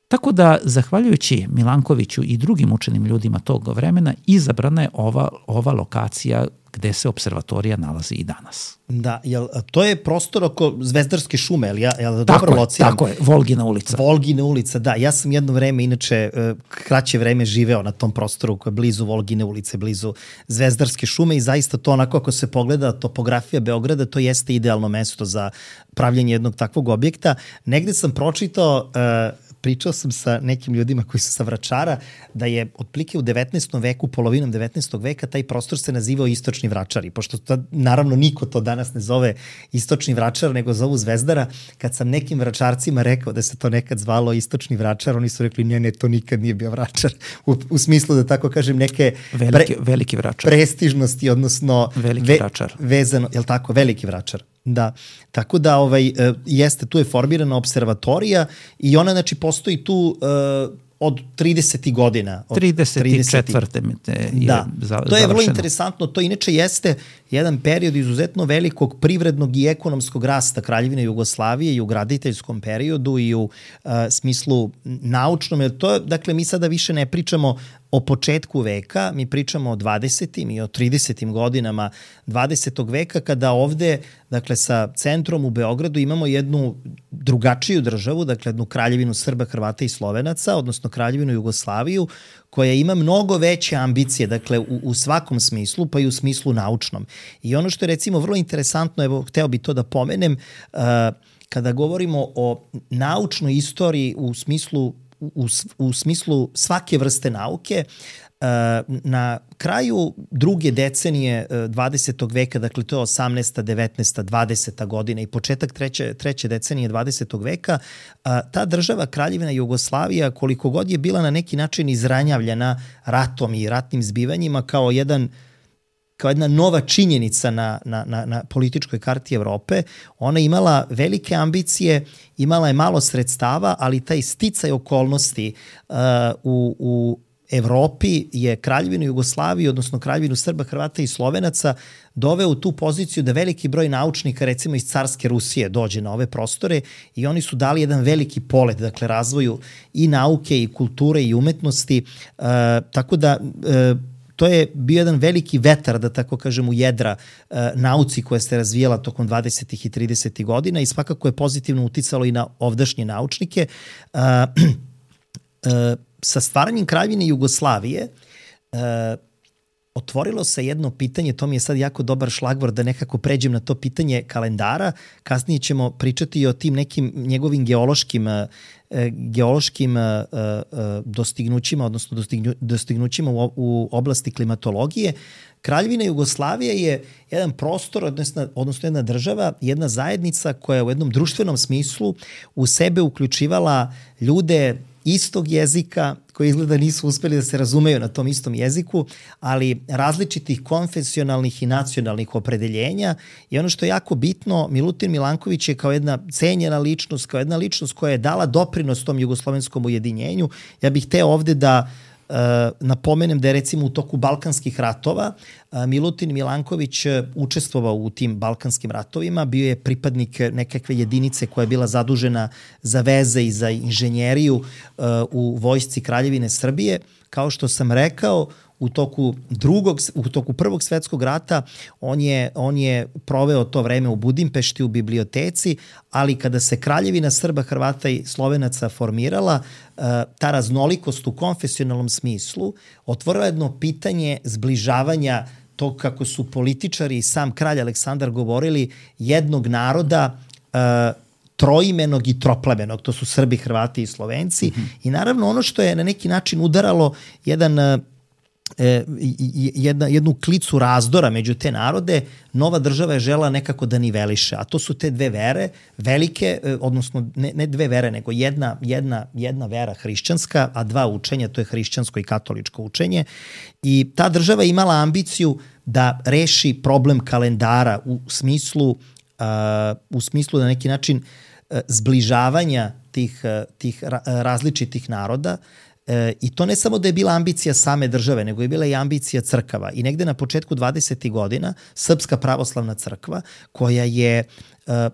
Tako da, zahvaljujući Milankoviću i drugim učenim ljudima tog vremena, izabrana je ova, ova lokacija gde se observatorija nalazi i danas.
Da, jel, to je prostor oko Zvezdarske šume, jel, ja, jel
tako
dobro
je,
lociram?
Tako je, Volgina ulica.
Volgina ulica, da. Ja sam jedno vreme, inače, kraće vreme živeo na tom prostoru koje je blizu Volgine ulice, blizu Zvezdarske šume i zaista to onako ako se pogleda topografija Beograda, to jeste idealno mesto za pravljenje jednog takvog objekta. Negde sam pročitao, uh, pričao sam sa nekim ljudima koji su sa Vračara, da je otprilike u devetnaestom veku, polovinom devetnaestog veka, taj prostor se nazivao Istočni Vračari, pošto to, naravno niko to danas ne zove Istočni Vračar, nego zovu Zvezdara. Kad sam nekim Vračarcima rekao da se to nekad zvalo Istočni Vračar, oni su rekli ne, ne, to nikad nije bio Vračar. U, u smislu da tako kažem neke
veliki, pre, veliki Vračar.
Prestižnosti, odnosno
veliki ve, Vračar.
Vezano, je li tako, Veliki Vračar. Da, tako da ovaj, jeste, tu je formirana observatorija i ona znači postoji tu uh, od tridesetih godina. Od
trideset četvrte je
da,
završeno.
To je vrlo interesantno, to inače jeste jedan period izuzetno velikog privrednog i ekonomskog rasta Kraljevine Jugoslavije i u graditeljskom periodu i u uh, smislu naučnom, jer to je, dakle, mi sada više ne pričamo o početku veka, mi pričamo o dvadesetim i o tridesetim godinama dvadesetog veka, kada ovde, dakle, sa centrom u Beogradu imamo jednu drugačiju državu, dakle, jednu kraljevinu Srba, Hrvata i Slovenaca, odnosno kraljevinu Jugoslaviju, koja ima mnogo veće ambicije, dakle, u, u svakom smislu, pa i u smislu naučnom. I ono što je, recimo, vrlo interesantno, evo, hteo bi to da pomenem, uh, kada govorimo o naučnoj istoriji u smislu U, u smislu svake vrste nauke, na kraju druge decenije dvadesetog veka, dakle to je osamnaesta, devetnaesta, dvadeseta godina i početak treće, treće decenije dvadesetog veka, ta država Kraljevina Jugoslavija, koliko god je bila na neki način izranjavljena ratom i ratnim zbivanjima kao jedan kao jedna nova činjenica na, na, na, na političkoj karti Evrope, ona imala velike ambicije, imala je malo sredstava, ali taj sticaj okolnosti uh, u, u Evropi je Kraljevinu Jugoslaviju, odnosno Kraljevinu Srba, Hrvata i Slovenaca doveo u tu poziciju da veliki broj naučnika, recimo iz carske Rusije, dođe na ove prostore i oni su dali jedan veliki polet, dakle razvoju i nauke i kulture i umetnosti, uh, tako da uh, to je bio jedan veliki vetar, da tako kažem, u jedra uh, nauci koja se razvijala tokom dvadesetih i tridesetih godina i svakako je pozitivno uticalo i na ovdašnje naučnike. Uh, uh, sa stvaranjem Kraljevine Jugoslavije uh, otvorilo se jedno pitanje, to mi je sad jako dobar šlagvor da nekako pređem na to pitanje kalendara. Kasnije ćemo pričati i o tim nekim njegovim geološkim geološkim dostignućima, odnosno dostignu, dostignućima u, u oblasti klimatologije. Kraljevina Jugoslavije je jedan prostor, odnosno, odnosno jedna država, jedna zajednica koja u jednom društvenom smislu u sebe uključivala ljude istog jezika, koji izgleda nisu uspeli da se razumeju na tom istom jeziku, ali različitih konfesionalnih i nacionalnih opredeljenja. I ono što je jako bitno, Milutin Milanković je kao jedna cenjena ličnost, kao jedna ličnost koja je dala doprinos tom jugoslovenskom ujedinjenju. Ja bih hteo ovde da Uh, napomenem da je recimo u toku Balkanskih ratova uh, Milutin Milanković uh, učestvovao u tim Balkanskim ratovima, bio je pripadnik nekakve jedinice koja je bila zadužena za veze i za inženjeriju uh, u vojsci Kraljevine Srbije. Kao što sam rekao, u toku drugog, u toku Prvog svetskog rata on je, on je proveo to vreme u Budimpešti u biblioteci, ali kada se Kraljevina Srba, Hrvata i Slovenaca formirala, ta raznolikost u konfesionalnom smislu otvorila jedno pitanje zbližavanja tog, kako su političari i sam kralj Aleksandar govorili, jednog naroda troimenog i troplemenog, to su Srbi, Hrvati i Slovenci. Mm-hmm. I naravno ono što je na neki način udaralo jedan E, jedna, jednu klicu razdora među te narode, nova država je žela nekako da niveliše, a to su te dve vere, velike, odnosno ne, ne dve vere, nego jedna, jedna, jedna vera hrišćanska, a dva učenja, to je hrišćansko i katoličko učenje. I ta država je imala ambiciju da reši problem kalendara u smislu, uh, u smislu na neki način uh, zbližavanja tih, uh, tih ra različitih naroda. E, I to ne samo da je bila ambicija same države, nego je bila i ambicija crkava. I negde na početku dvadesetih godina Srpska pravoslavna crkva, koja je e,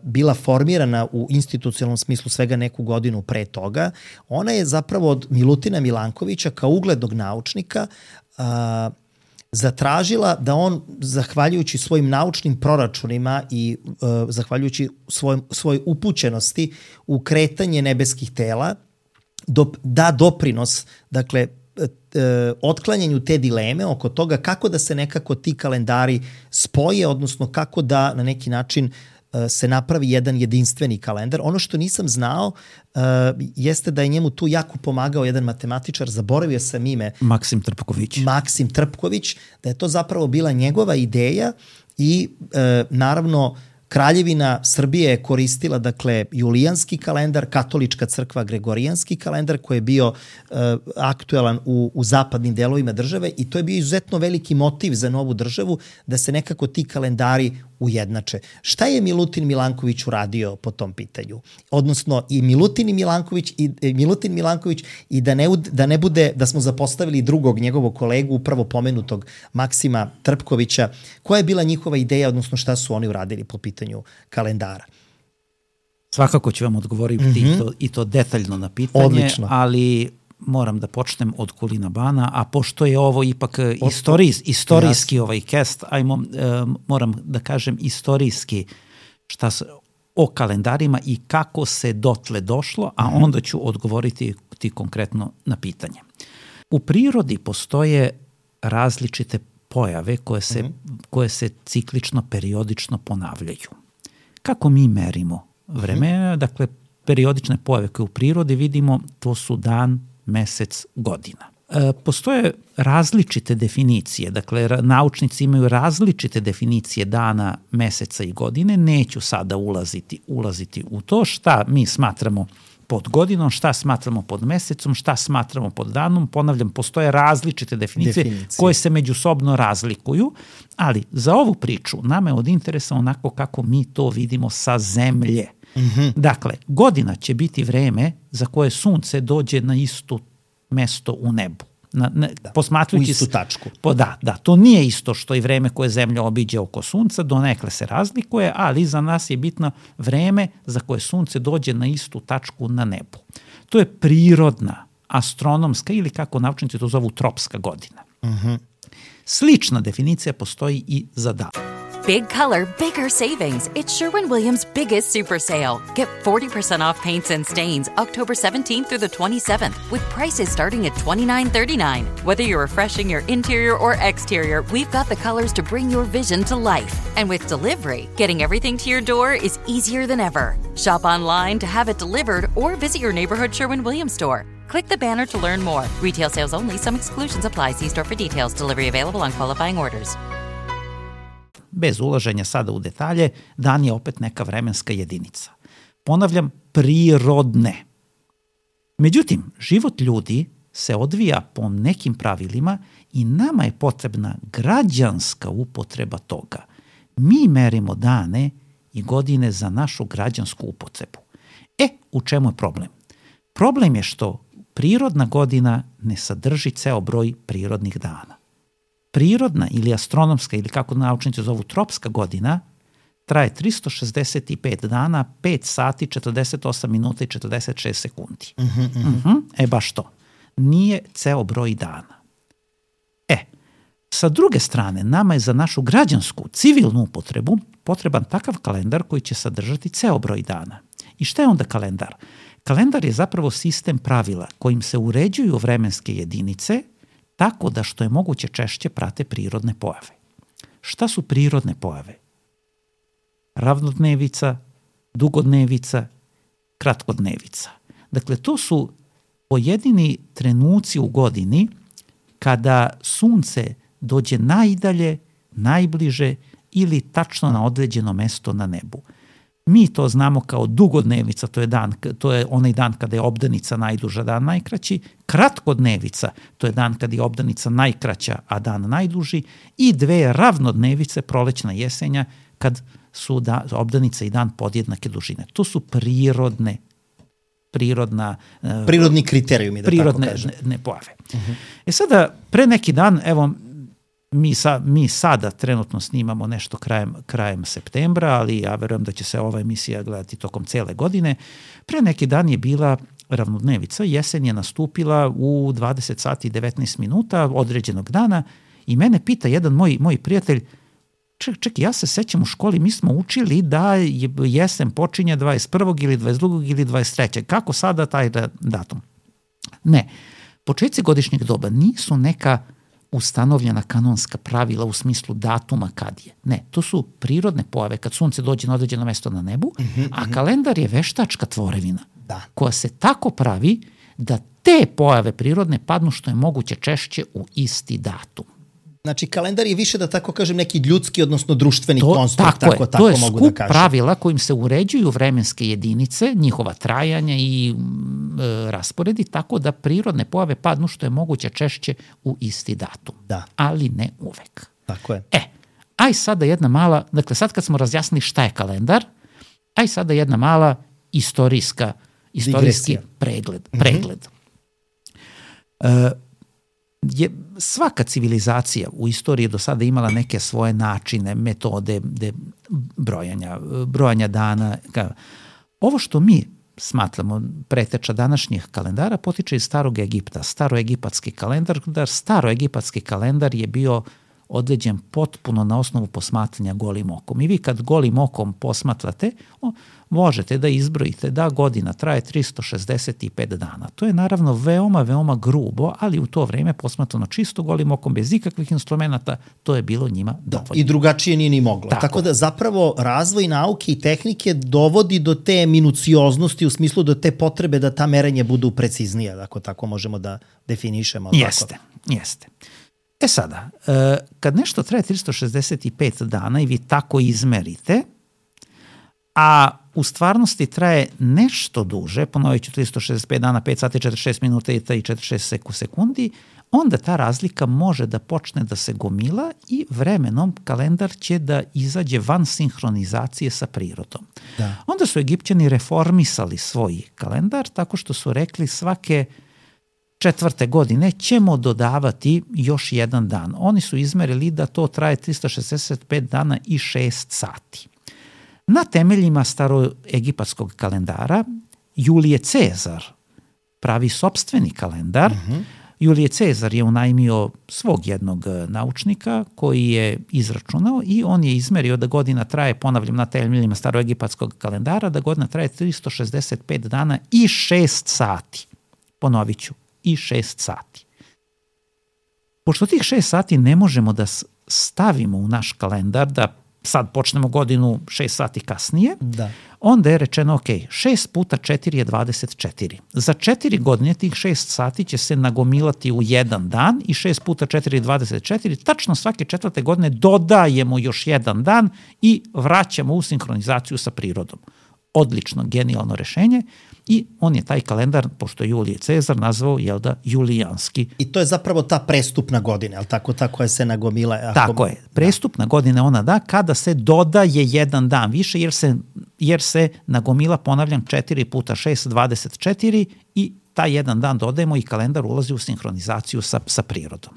bila formirana u institucionalnom smislu svega neku godinu pre toga, ona je zapravo od Milutina Milankovića kao uglednog naučnika a, zatražila da on, zahvaljujući svojim naučnim proračunima i uh, zahvaljujući svoj, svoj upućenosti u kretanje nebeskih tela, do, da doprinos, dakle, otklanjanju te dileme oko toga kako da se nekako ti kalendari spoje, odnosno kako da na neki način se napravi jedan jedinstveni kalendar. Ono što nisam znao uh, jeste da je njemu tu jako pomagao jedan matematičar, zaboravio sam ime.
Maksim Trpković.
Maksim Trpković, da je to zapravo bila njegova ideja i uh, naravno Kraljevina Srbije je koristila, dakle, julijanski kalendar, katolička crkva gregorijanski kalendar koji je bio uh, aktuelan u, u zapadnim delovima države i to je bio izuzetno veliki motiv za novu državu da se nekako ti kalendari ujednače. Šta je Milutin Milanković uradio po tom pitanju? Odnosno i Milutin i Milanković i e, Milutin Milanković i da ne, da ne bude da smo zapostavili drugog njegovog kolegu, upravo pomenutog Maksima Trpkovića. Koja je bila njihova ideja, odnosno šta su oni uradili po pitanju kalendara?
Svakako ću vam odgovoriti mm-hmm. i, to, i to detaljno na pitanje,
odlično, ali
moram da počnem od Kulina Bana, a pošto je ovo ipak istorijs, istorijski ovaj cast, ajmo, uh, moram da kažem istorijski šta se, o kalendarima i kako se dotle došlo, a onda ću odgovoriti ti konkretno na pitanje. U prirodi postoje različite pojave koje se, mm-hmm. koje se ciklično, periodično ponavljaju. Kako mi merimo vreme? Mm-hmm. Dakle, periodične pojave koje u prirodi vidimo, to su dan, mesec, godina. E, postoje različite definicije, dakle naučnici imaju različite definicije dana, meseca i godine, neću sada ulaziti, ulaziti u to šta mi smatramo pod godinom, šta smatramo pod mesecom, šta smatramo pod danom, ponavljam, postoje različite definicije, definicije koje se međusobno razlikuju, ali za ovu priču nama je od interesa onako kako mi to vidimo sa zemlje. Mm-hmm. Dakle, godina će biti vreme za koje sunce dođe na isto mesto u nebu. Na, na,
da,
posmatrujući
u istu tačku.
Po, da, da, to nije isto što i vreme koje zemlja obiđe oko sunca, donekle se razlikuje, ali za nas je bitno vreme za koje sunce dođe na istu tačku na nebu. To je prirodna, astronomska ili kako naučnici to zovu tropska godina.
Mm-hmm.
Slična definicija postoji i za dan.
Big color, bigger savings. It's Sherwin-Williams' biggest super sale. Get forty percent off paints and stains October seventeenth through the twenty-seventh with prices starting at twenty-nine thirty-nine. Whether you're refreshing your interior or exterior, we've got the colors to bring your vision to life. And with delivery, getting everything to your door is easier than ever. Shop online to have it delivered or visit your neighborhood Sherwin-Williams store. Click the banner to learn more. Retail sales only. Some exclusions apply. See store for details. Delivery available on qualifying orders.
Bez ulaženja sada u detalje, dan je opet neka vremenska jedinica. Ponavljam, prirodne. Međutim, život ljudi se odvija po nekim pravilima i nama je potrebna građanska upotreba toga. Mi merimo dane i godine za našu građansku upotrebu. E, u čemu je problem? Problem je što prirodna godina ne sadrži ceo broj prirodnih dana. Prirodna ili astronomska ili kako naučnici zovu tropska godina traje tristo šezdeset pet dana, pet sati, četrdeset osam minuta i četrdeset šest sekundi.
Mm-hmm, mm-hmm.
Uh-huh. E baš to. Nije ceo broj dana. E, sa druge strane, nama je za našu građansku, civilnu upotrebu potreban takav kalendar koji će sadržati ceo broj dana. I šta je onda kalendar? Kalendar je zapravo sistem pravila kojim se uređuju vremenske jedinice tako da što je moguće češće prate prirodne pojave. Šta su prirodne pojave? Ravnodnevica, dugodnevica, kratkodnevica. Dakle, to su pojedini trenuci u godini kada sunce dođe najdalje, najbliže ili tačno na određeno mesto na nebu. Mi to znamo kao dugodnevica, to je, dan, to je onaj dan kada je obdanica najduža, dan najkraći. Kratkodnevica, to je dan kada je obdanica najkraća, a dan najduži. I dve ravnodnevice, prolećna jesenja, kad su da, obdanica i dan podjednake dužine. To su prirodne, prirodna,
prirodni kriterijumi, da
prirodne,
tako kažem.
Ne, ne pojave. Uh-huh. E sada, pre neki dan, evo, Mi, sa, mi sada trenutno snimamo nešto krajem, krajem septembra, ali ja verujem da će se ova emisija gledati tokom cele godine. Pre neki dan je bila ravnodnevica, jesen je nastupila u dvadeset sati i devetnaest minuta određenog dana I mene pita jedan moj, moj prijatelj, ček, ček, ja se sećam u školi, mi smo učili da je jesen počinje dvadeset prvog ili dvadeset drugog ili dvadeset trećeg Kako sada taj datum? Ne, početci godišnjeg doba nisu neka ustanovljena kanonska pravila u smislu datuma kad je. Ne, to su prirodne pojave kad sunce dođe na određeno mesto na nebu, mm-hmm, a kalendar je veštačka tvorevina
da.
koja se tako pravi da te pojave prirodne padnu što je moguće češće u isti datum.
Znači, kalendar je više, da tako kažem, neki ljudski, odnosno društveni
to,
konstrukt,
tako,
tako,
je,
tako
to je
mogu
skup
da kažem.
pravila kojim se uređuju vremenske jedinice, njihova trajanja i e, rasporedi, tako da prirodne pojave padnu što je moguće češće u isti datum.
Da.
Ali ne uvek.
Tako je.
E, aj sada jedna mala, dakle sad kad smo razjasnili šta je kalendar, aj sada jedna mala istorijska, istorijski
Digresija.
pregled. pregled. Mm-hmm. E, je svaka civilizacija u istoriji do sada imala neke svoje načine, metode de brojanja, brojanja dana. Ovo što mi smatramo preteča današnjih kalendara potiče iz starog Egipta. Staroegipatski kalendar, staroegipatski kalendar je bio određen potpuno na osnovu posmatranja golim okom. I vi kad golim okom posmatrate, o, možete da izbrojite da godina traje tristo šezdeset pet dana. To je naravno veoma, veoma grubo, ali u to vreme posmatrano čisto golim okom, bez ikakvih instrumenta, to je bilo njima dovoljno.
I drugačije nije ni moglo.
Tako.
Tako da zapravo razvoj nauke i tehnike dovodi do te minucioznosti u smislu do te potrebe da ta merenja budu preciznija, ako tako možemo da definišemo.
Jeste,
tako.
jeste. E sada, kad nešto traje tristo šezdeset pet dana i vi tako izmerite, a u stvarnosti traje nešto duže, ponovit ću tristo šezdeset pet dana, pet sati, četrdeset šest minuta i četrdeset šest sekundi, onda ta razlika može da počne da se gomila i vremenom kalendar će da izađe van sinhronizacije sa prirodom.
Da.
Onda su Egipćani reformisali svoj kalendar tako što su rekli svake četvrte godine ćemo dodavati još jedan dan. Oni su izmerili da to traje tristo šezdeset pet dana i šest sati. Na temeljima staroegipatskog kalendara Julije Cezar pravi sopstveni kalendar. Uh-huh. Julije Cezar je unajmio svog jednog naučnika koji je izračunao i on je izmerio da godina traje, ponavljam, na temeljima staroegipatskog kalendara, da godina traje tristo šezdeset pet dana i šest sati. Ponovit ću. I šest sati. Pošto tih šest sati ne možemo da stavimo u naš kalendar, da sad počnemo godinu šest sati kasnije,
da.
Onda je rečeno, ok, šest puta četiri je dvadeset četiri. Za četiri godine tih šest sati će se nagomilati u jedan dan i šest puta četiri je dvadeset četiri. Tačno svake četvrte godine dodajemo još jedan dan i vraćamo u sinhronizaciju sa prirodom. Odlično, genijalno rešenje. I on je taj kalendar, pošto je Julije Cezar, nazvao, jel da, julijanski.
I to je zapravo ta prestupna godina, jel tako, ta koja se nagomila? Ako...
Tako je. Prestupna da. godina ona da kada se dodaje jedan dan više, jer se, jer se nagomila, ponavljam, četiri puta šest, dvadeset četiri i taj jedan dan dodajemo i kalendar ulazi u sinhronizaciju sa, sa prirodom.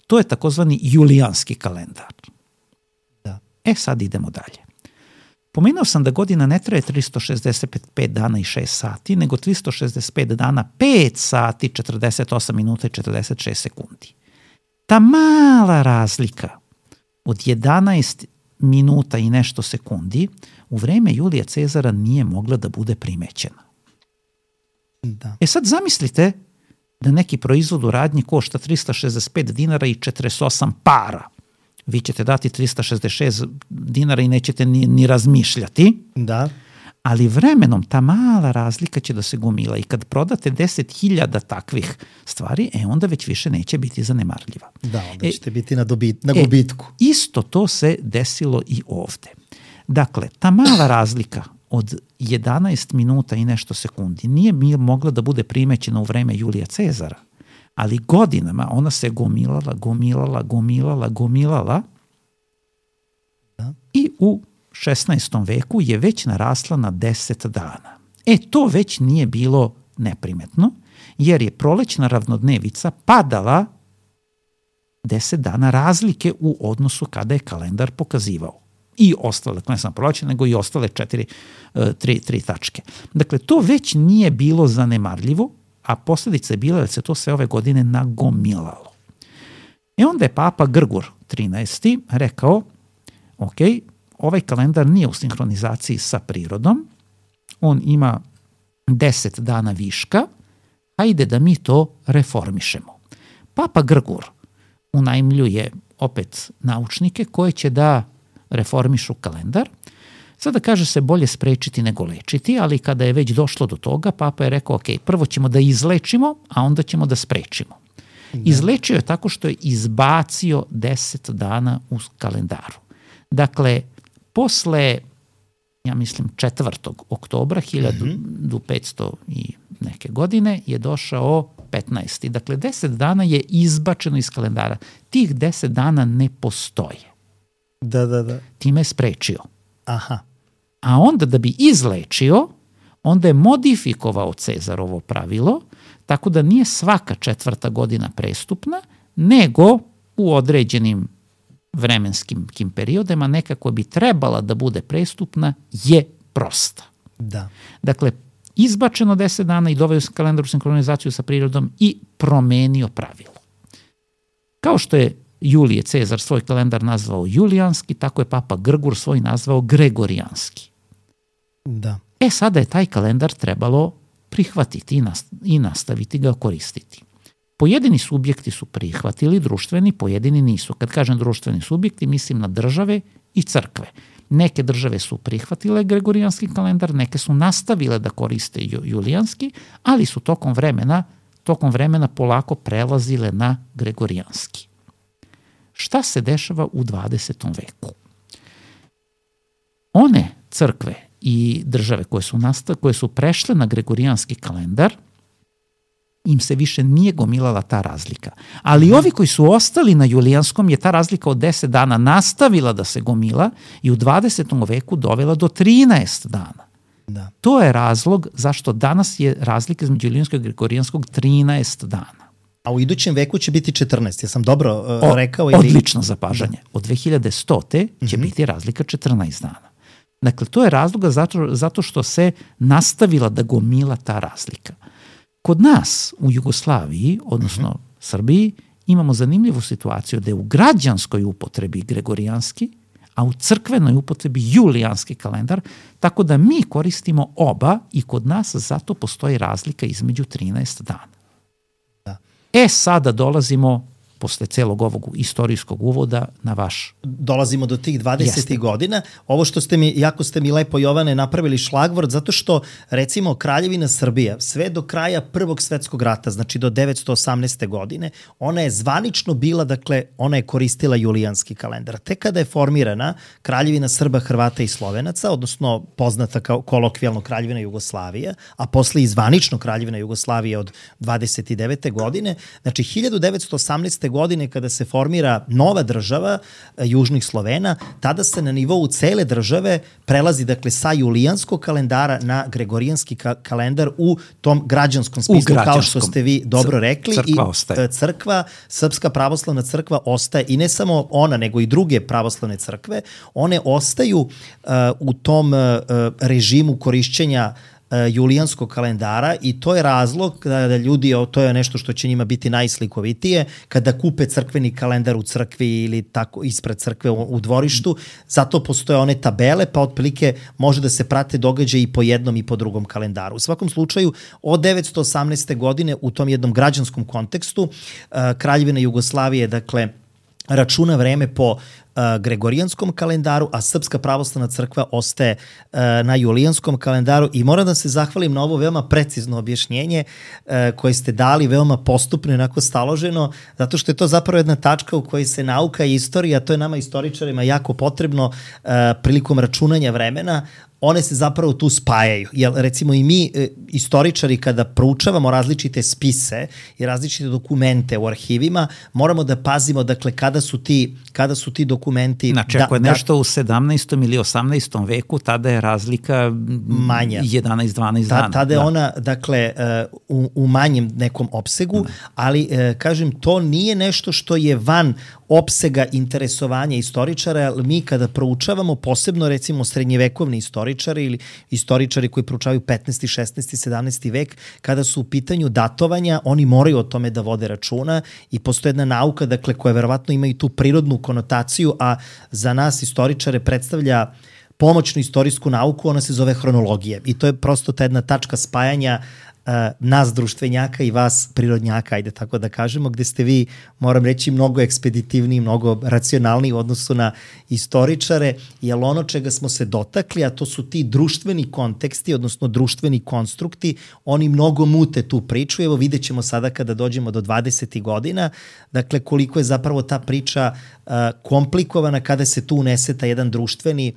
To je takozvani julijanski kalendar.
Da.
E sad idemo dalje. Pomenuo sam da godina ne traje tristo šezdeset pet dana i šest sati, nego tristo šezdeset pet dana, pet sati, četrdeset osam minuta i četrdeset šest sekundi. Ta mala razlika od jedanaest minuta i nešto sekundi u vreme Julija Cezara nije mogla da bude primećena.
Da.
E sad zamislite da neki proizvod u radnji košta tristo šezdeset pet dinara i četrdeset osam para. Vi ćete dati tristo šezdeset šest dinara i nećete ni, ni razmišljati.
Da.
Ali vremenom ta mala razlika će da se gomila i kad prodate deset hiljada takvih stvari, e onda već više neće biti zanemarljiva.
Da, onda
e,
ćete biti na, dobit, na gubitku.
E, isto to se desilo i ovde. Dakle, ta mala razlika od jedanaest minuta i nešto sekundi nije mi mogla da bude primećena u vreme Julija Cezara, ali godinama ona se gomilala, gomilala, gomilala, gomilala
da.
I u šesnaestom veku je već narasla na deset dana. E, to već nije bilo neprimetno, jer je prolećna ravnodnevica padala deset dana razlike u odnosu kada je kalendar pokazivao. I ostale, ne samo prolećne, nego i ostale četiri, tri, tri tačke. Dakle, to već nije bilo zanemarljivo, a posljedica je bila da se to sve ove godine nagomilalo. E onda je Papa Grgur trinaesti rekao, ok, ovaj kalendar nije u sinhronizaciji sa prirodom, on ima deset dana viška, hajde da mi to reformišemo. Papa Grgur unajmljuje opet naučnike koje će da reformišu kalendar. Sada kaže se bolje sprečiti nego lečiti, ali kada je već došlo do toga, Papa je rekao, ok, prvo ćemo da izlečimo, a onda ćemo da sprečimo. Da. Izlečio je tako što je izbacio deset dana u kalendaru. Dakle, posle, ja mislim, četvrtog oktobra hiljadu petsto i neke godine je došao petnaesti. Dakle, deset dana je izbačeno iz kalendara. Tih deset dana ne postoje.
Da, da, da.
Time je sprečio.
Aha.
A onda da bi izlečio, onda je modifikovao Cezarovo pravilo, tako da nije svaka četvrta godina prestupna, nego u određenim vremenskim periodima neka koja bi trebala da bude prestupna je prosta.
Da.
Dakle, izbačeno deset dana i doveo kalendar u sinhronizaciju sa prirodom i promenio pravilo. Kao što je Julije Cezar svoj kalendar nazvao julijanski, tako je Papa Grgur svoj nazvao gregorijanski.
Da.
E, sada je taj kalendar trebalo prihvatiti i nastaviti ga koristiti. Pojedini subjekti su prihvatili, društveni, pojedini nisu. Kad kažem društveni subjekti, mislim na države i crkve. Neke države su prihvatile gregorijanski kalendar, neke su nastavile da koriste julijanski, ali su tokom vremena, tokom vremena polako prelazile na gregorijanski. Šta se dešava u dvadesetom veku? One crkve i države koje su, nastav, koje su prešle na gregorijanski kalendar, im se više nije gomilala ta razlika. Ali ovi koji su ostali na julijanskom je ta razlika od deset dana nastavila da se gomila i u dvadesetom veku dovela do trinaest dana.
Da.
To je razlog zašto danas je razlika između julijanskog i gregorijanskog trinaest dana.
A u idućem veku će biti četrnaest, ja sam dobro uh,
o,
rekao? Ili...
Odlično zapažanje. Od dve hiljade stote će
mm-hmm.
biti razlika četrnaest dana. Dakle, to je razloga zato, zato što se nastavila da gomila ta razlika. Kod nas u Jugoslaviji, odnosno mm-hmm. Srbiji, imamo zanimljivu situaciju da je u građanskoj upotrebi gregorijanski, a u crkvenoj upotrebi julijanski kalendar, tako da mi koristimo oba i kod nas zato postoji razlika između trinaest dana.
Da.
E, sada dolazimo, posle celog ovog istorijskog uvoda, na vaš...
Dolazimo do tih dvadesetih godina. Ovo što ste mi, jako ste mi lepo, Jovane, napravili šlagvort, zato što, recimo, Kraljevina Srbija, sve do kraja Prvog svetskog rata, znači do devetsto osamnaeste. godine, ona je zvanično bila, dakle, ona je koristila julijanski kalendar. Tek kada je formirana Kraljevina Srba, Hrvata i Slovenaca, odnosno poznata kao kolokvijalno Kraljevina Jugoslavija, a posle i zvanično Kraljevina Jugoslavija od dvadeset devete. godine, znači hiljadu devetsto osamnaeste. godine kada se formira nova država južnih Slovena, tada se na nivou cele države prelazi, dakle, sa julijanskog kalendara na gregorijanski ka- kalendar u tom građanskom smislu, kao što ste vi dobro rekli.
Crkva
I
ostaje.
Crkva, Srpska pravoslavna crkva ostaje, i ne samo ona, nego i druge pravoslavne crkve, one ostaju uh, u tom uh, režimu korišćenja julijanskog kalendara, i to je razlog da ljudi, to je nešto što će njima biti najslikovitije, kada kupe crkveni kalendar u crkvi ili tako ispred crkve u, u dvorištu, zato postoje one tabele, pa otprilike može da se prate događaje i po jednom i po drugom kalendaru. U svakom slučaju, od devetsto osamnaeste. godine u tom jednom građanskom kontekstu, Kraljevina Jugoslavije, dakle, računa vreme po uh, gregorijanskom kalendaru, a Srpska pravoslavna crkva ostaje uh, na julijanskom kalendaru, i moram da se zahvalim na ovo veoma precizno objašnjenje uh, koje ste dali, veoma postupno i onako staloženo, zato što je to zapravo jedna tačka u kojoj se nauka i istorija, to je nama istoričarima jako potrebno uh, prilikom računanja vremena, one se zapravo tu spajaju. Jer, recimo, i mi, e, istoričari, kada proučavamo različite spise i različite dokumente u arhivima, moramo da pazimo, dakle, kada su ti, kada su ti dokumenti dokumenti.
Znači, ako je da, nešto da, u sedamnaestom ili osamnaestom veku, tada je razlika manja. jedanaest dvanaest
Ta,
dana.
Tada je
da.
ona, dakle, u, u manjem nekom opsegu, da. ali, kažem, to nije nešto što je van opsega interesovanja istoričara, ali mi kada proučavamo, posebno recimo srednjevekovni istoričari ili istoričari koji proučavaju petnaesti, šesnaesti, sedamnaesti vek, kada su u pitanju datovanja, oni moraju o tome da vode računa i postoje jedna nauka, dakle, koja verovatno ima i tu prirodnu konotaciju, a za nas istoričare predstavlja pomoćnu istorijsku nauku, ona se zove hronologija. I to je prosto ta jedna tačka spajanja uh, nas društvenjaka i vas prirodnjaka, ajde tako da kažemo, gde ste vi, moram reći, mnogo ekspeditivniji, mnogo racionalniji u odnosu na istoričare, jer ono čega smo se dotakli, a to su ti društveni konteksti, odnosno društveni konstrukti, oni mnogo mute tu priču. Evo vidjet ćemo sada kada dođemo do dvadesetih godina, dakle koliko je zapravo ta priča uh, komplikovana kada se tu unese ta jedan društveni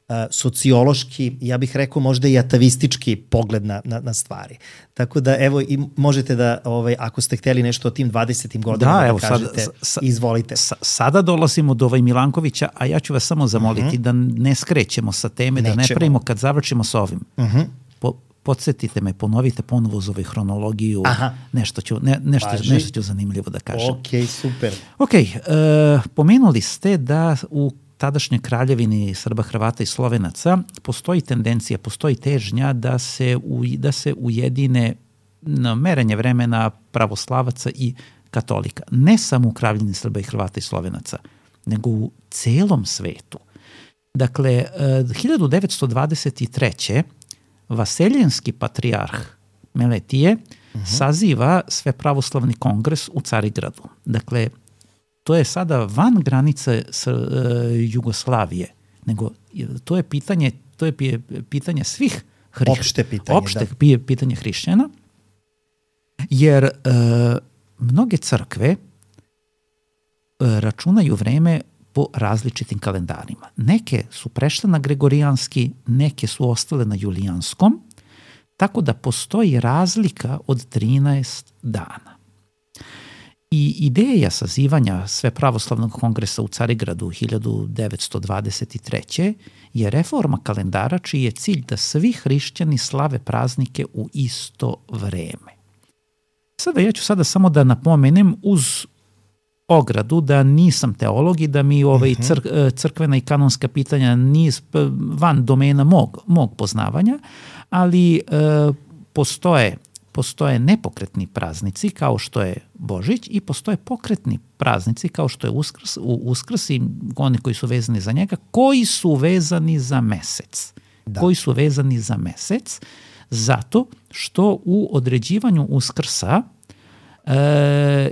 Uh, sociološki, ja bih rekao možda i atavistički pogled na, na, na stvari. Tako da evo i možete da, ovaj, ako ste hteli nešto o tim dvadesetim godinama da, da evo, kažete, sada, sa, izvolite.
Sa, sada dolazimo do ovaj Milankovića, a ja ću vas samo zamoliti uh-huh. da ne skrećemo sa teme, Nećemo. da ne pravimo kad završimo sa ovim. Uh-huh. Po, podsjetite me, ponovite ponovo za ovaj hronologiju, Aha. nešto ću, ne, nešto, nešto ću zanimljivo da kažem.
Ok, super.
Ok, uh, pomenuli ste da u tadašnjoj kraljevini Srba, Hrvata i Slovenaca postoji tendencija, postoji težnja da se, u, da se ujedine na merenje vremena pravoslavaca i katolika. Ne samo u kraljevini Srba i Hrvata i Slovenaca, nego u celom svetu. Dakle, hiljadu devetsto dvadeset treće. Vaseljenski patrijarh Meletije uh-huh. saziva Svepravoslavni kongres u Carigradu. Dakle, to je sada van granice s, e, Jugoslavije, nego to je pitanje, to je pitanje svih hrišćana.
Opšte pitanje,
opšte
da.
pitanje hrišćana, jer e, mnoge crkve e, računaju vreme po različitim kalendarima. Neke su prešle na gregorijanski, neke su ostale na julijanskom, tako da postoji razlika od trinaest dana. I ideja sazivanja Svepravoslavnog kongresa u Carigradu hiljadu devetsto dvadeset treće. je reforma kalendara čiji je cilj da svi hrišćani slave praznike u isto vreme. Sada ja ću sada samo da napomenem uz ogradu da nisam teolog i da mi ovaj cr, crkvena i kanonska pitanja niz van domena mog, mog poznavanja, ali e, postoje Postoje nepokretni praznici kao što je Božić i postoje pokretni praznici kao što je Uskrs, u Uskrs i oni koji su vezani za njega, koji su vezani za mesec. Da. Koji su vezani za mesec zato što u određivanju Uskrsa e,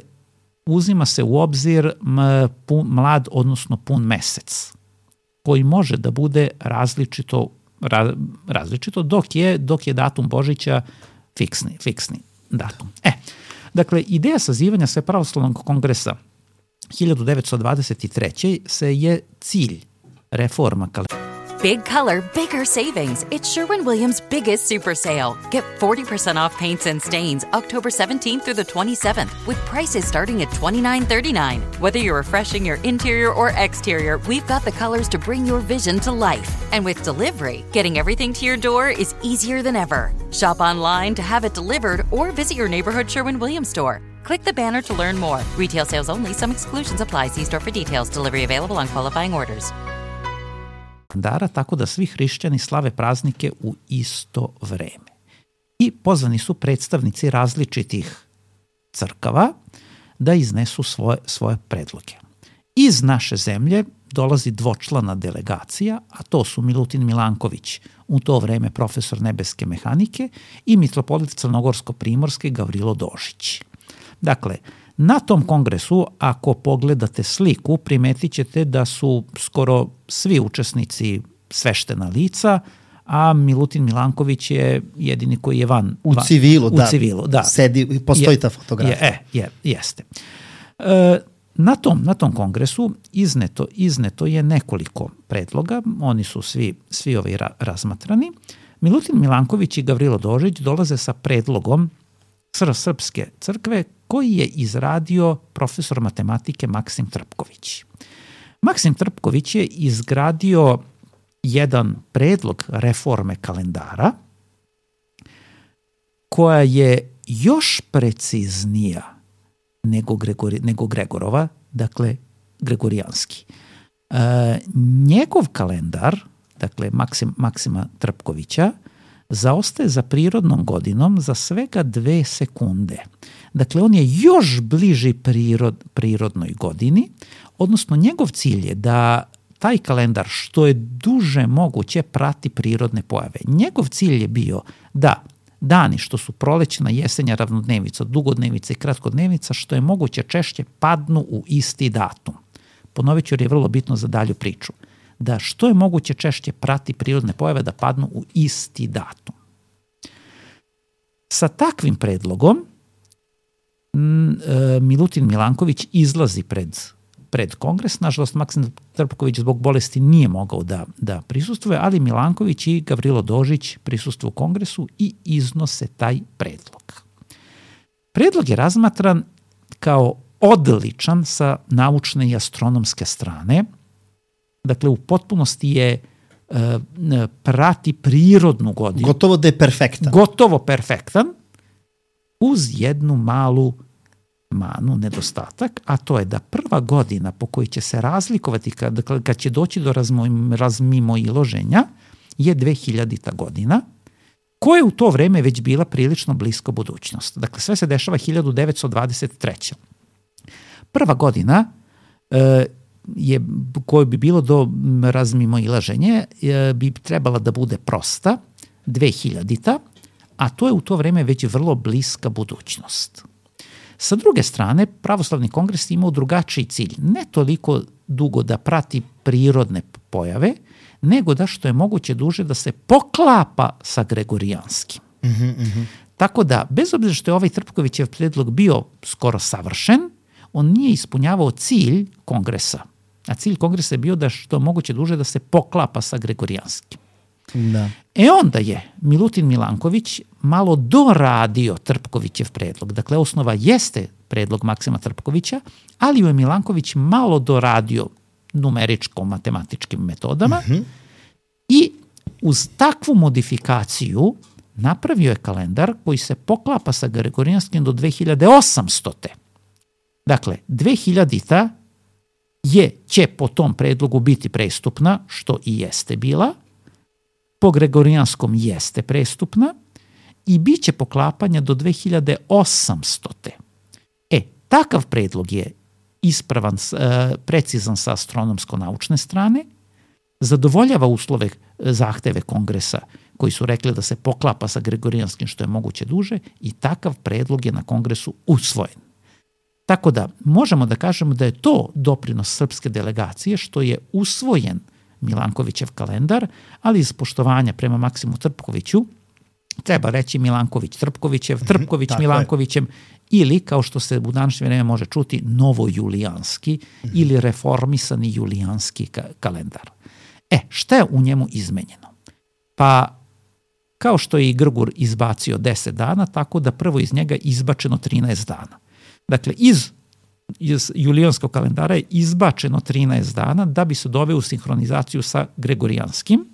uzima se u obzir m, pun, mlad, odnosno pun mesec, koji može da bude različito, ra, različito dok je, dok je datum Božića Fiksni, fiksni datum. E, dakle, ideja sazivanja Svepravoslavnog kongresa hiljadu devetsto dvadeset treće. se je cilj reforma kalendara.
Big color, bigger savings. It's Sherwin-Williams' biggest super sale. Get forty percent off paints and stains October seventeenth through the twenty-seventh with prices starting at twenty-nine thirty-nine. Whether you're refreshing your interior or exterior, we've got the colors to bring your vision to life. And with delivery, getting everything to your door is easier than ever. Shop online to have it delivered or visit your neighborhood Sherwin-Williams store. Click the banner to learn more. Retail sales only. Some exclusions apply. See store for details. Delivery available on qualifying orders.
Kalendara, tako da svi hrišćani slave praznike u isto vreme. I pozvani su predstavnici različitih crkava da iznesu svoje, svoje predloge. Iz naše zemlje dolazi dvočlana delegacija, a to su Milutin Milanković, u to vreme profesor nebeske mehanike, i mitropolit Crnogorsko-primorske Gavrilo Dožić. Dakle, na tom kongresu, ako pogledate sliku, primetit ćete da su skoro svi učesnici sveštena lica, a Milutin Milanković je jedini koji je van.
U civilu,
van,
da.
U civilu, da.
Sedi, postoji je, ta fotografija.
Je, je, jeste. E, na, tom, na tom kongresu izneto, izneto je nekoliko predloga, oni su svi, svi ovi ra, razmatrani. Milutin Milanković i Gavrilo Dožić dolaze sa predlogom Srpske crkve koji je izradio profesor matematike Maksim Trpković. Maksim Trpković je izgradio jedan predlog reforme kalendara koja je još preciznija nego, Gregori, nego Gregorova, dakle gregorijanski. E, njegov kalendar, dakle Maksim, Maksima Trpkovića, zaostaje za prirodnom godinom za svega dve sekunde. Dakle, on je još bliži prirod, prirodnoj godini, odnosno njegov cilj je da taj kalendar što je duže moguće prati prirodne pojave. Njegov cilj je bio da dani što su prolećna, jesenja, ravnodnevica, dugodnevica i kratkodnevica što je moguće češće padnu u isti datum. Ponovit ću jer je vrlo bitno za dalju priču. Da što je moguće češće prati prirodne pojave da padnu u isti datum. Sa takvim predlogom Milutin Milanković izlazi pred, pred kongres. Nažalost, Maksim Trpković zbog bolesti nije mogao da, da prisustvuje, ali Milanković i Gavrilo Dožić prisustvuju kongresu i iznose taj predlog. Predlog je razmatran kao odličan sa naučne i astronomske strane. Dakle, u potpunosti je uh, prati prirodnu godinu.
Gotovo da je perfektan.
Gotovo perfektan, uz jednu malu manu, nedostatak, a to je da prva godina po kojoj će se razlikovati, kad, kad će doći do razmimoiloženja, je dvehiljadita godina, koja je u to vreme već bila prilično blisko budućnost. Dakle, sve se dešava hiljadu devetsto dvadeset treće. Prva godina e, je, koje bi bilo do razmimoilaženja, e, bi trebala da bude prosta, dvehiljadita, a to je u to vreme već vrlo bliska budućnost. Sa druge strane, Pravoslavni kongres imao drugačiji cilj, ne toliko dugo da prati prirodne pojave, nego da što je moguće duže da se poklapa sa gregorijanskim.
Mm-hmm, mm-hmm.
Tako da, bez obzira što je ovaj Trpkovićev predlog bio skoro savršen, on nije ispunjavao cilj kongresa. A cilj kongresa je bio da što je moguće duže da se poklapa sa gregorijanskim.
Da.
E onda je Milutin Milanković malo doradio Trpkovićev predlog. Dakle, osnova jeste predlog Maksima Trpkovića, ali je Milanković malo doradio numeričko-matematičkim metodama mm-hmm. i uz takvu modifikaciju napravio je kalendar koji se poklapa sa gregorijanskim do dve hiljade osamstote. Dakle, dvehiljadita je, će po tom predlogu biti prestupna, što i jeste bila, po gregorijanskom jeste prestupna i bit će poklapanja do dve hiljade osamstote. E, takav predlog je ispravan, precizan sa astronomsko-naučne strane, zadovoljava uslove, zahteve kongresa koji su rekli da se poklapa sa gregorijanskim što je moguće duže i takav predlog je na kongresu usvojen. Tako da možemo da kažemo da je to doprinos srpske delegacije što je usvojen Milankovićev kalendar, ali iz poštovanja prema Maksimu Trpkoviću treba reći Milanković Trpkovićev, Trpković mm-hmm, Milankovićem ili, kao što se u današnje vreme može čuti, novojulijanski mm-hmm. ili reformisani julijanski ka- kalendar. E, šta je u njemu izmenjeno? Pa, kao što je i Grgur izbacio deset dana, tako da prvo iz njega izbačeno trinaest dana. Dakle, iz iz julijanskog kalendara je izbačeno trinaest dana da bi se doveo u sinhronizaciju sa gregorijanskim.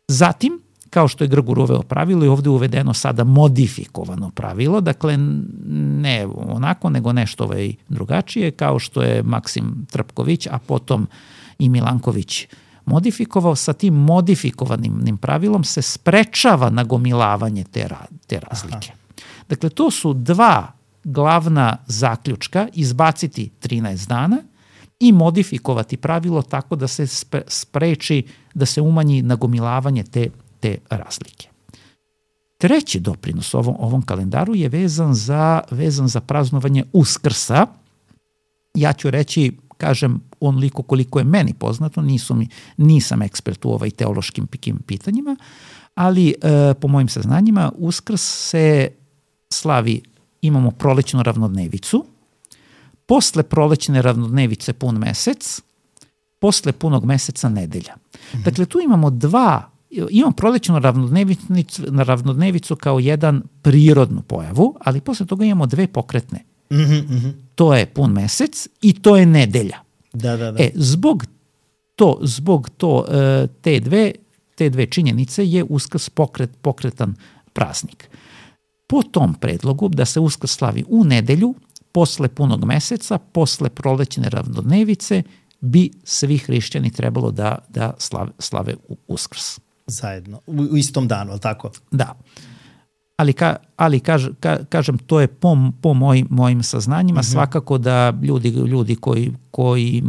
Zatim, kao što je Grgur uveo pravilo, je ovde uvedeno sada modifikovano pravilo, dakle ne onako, nego nešto ovaj drugačije, kao što je Maksim Trpković, a potom i Milanković modifikovao. Sa tim modifikovanim pravilom se sprečava nagomilavanje te, te razlike. Aha. Dakle, to su dva glavna zaključka, izbaciti trinaest dana i modifikovati pravilo tako da se spreči, da se umanji nagomilavanje te, te razlike. Treći doprinos ovom, ovom kalendaru je vezan za, vezan za praznovanje Uskrsa. Ja ću reći, kažem, onoliko koliko je meni poznato, nisu mi, nisam ekspert u ovaj teološkim pitanjima, ali e, po mojim saznanjima Uskrs se slavi, imamo prolećnu ravnodnevicu, posle prolećne ravnodnevice pun mesec, posle punog meseca nedelja. Mm-hmm. Dakle, tu imamo dva, imamo prolećnu ravnodnevicu, ravnodnevicu kao jedan prirodnu pojavu, ali posle toga imamo dve pokretne.
Mm-hmm.
To je pun mesec i to je nedelja.
Da, da, da.
E, zbog to, zbog to te dve, te dve činjenice je Uskrs pokret, pokretan praznik. Po tom predlogu da se Uskrs slavi u nedelju, posle punog meseca, posle prolećne ravnodnevice, bi svi hrišćani trebalo da, da slave, slave Uskrs.
Zajedno, u, u istom danu, ali tako?
Da. Ali, ka, ali kaž, ka, kažem, to je po, po moj, mojim saznanjima, mm-hmm. svakako da ljudi, ljudi koji, koji,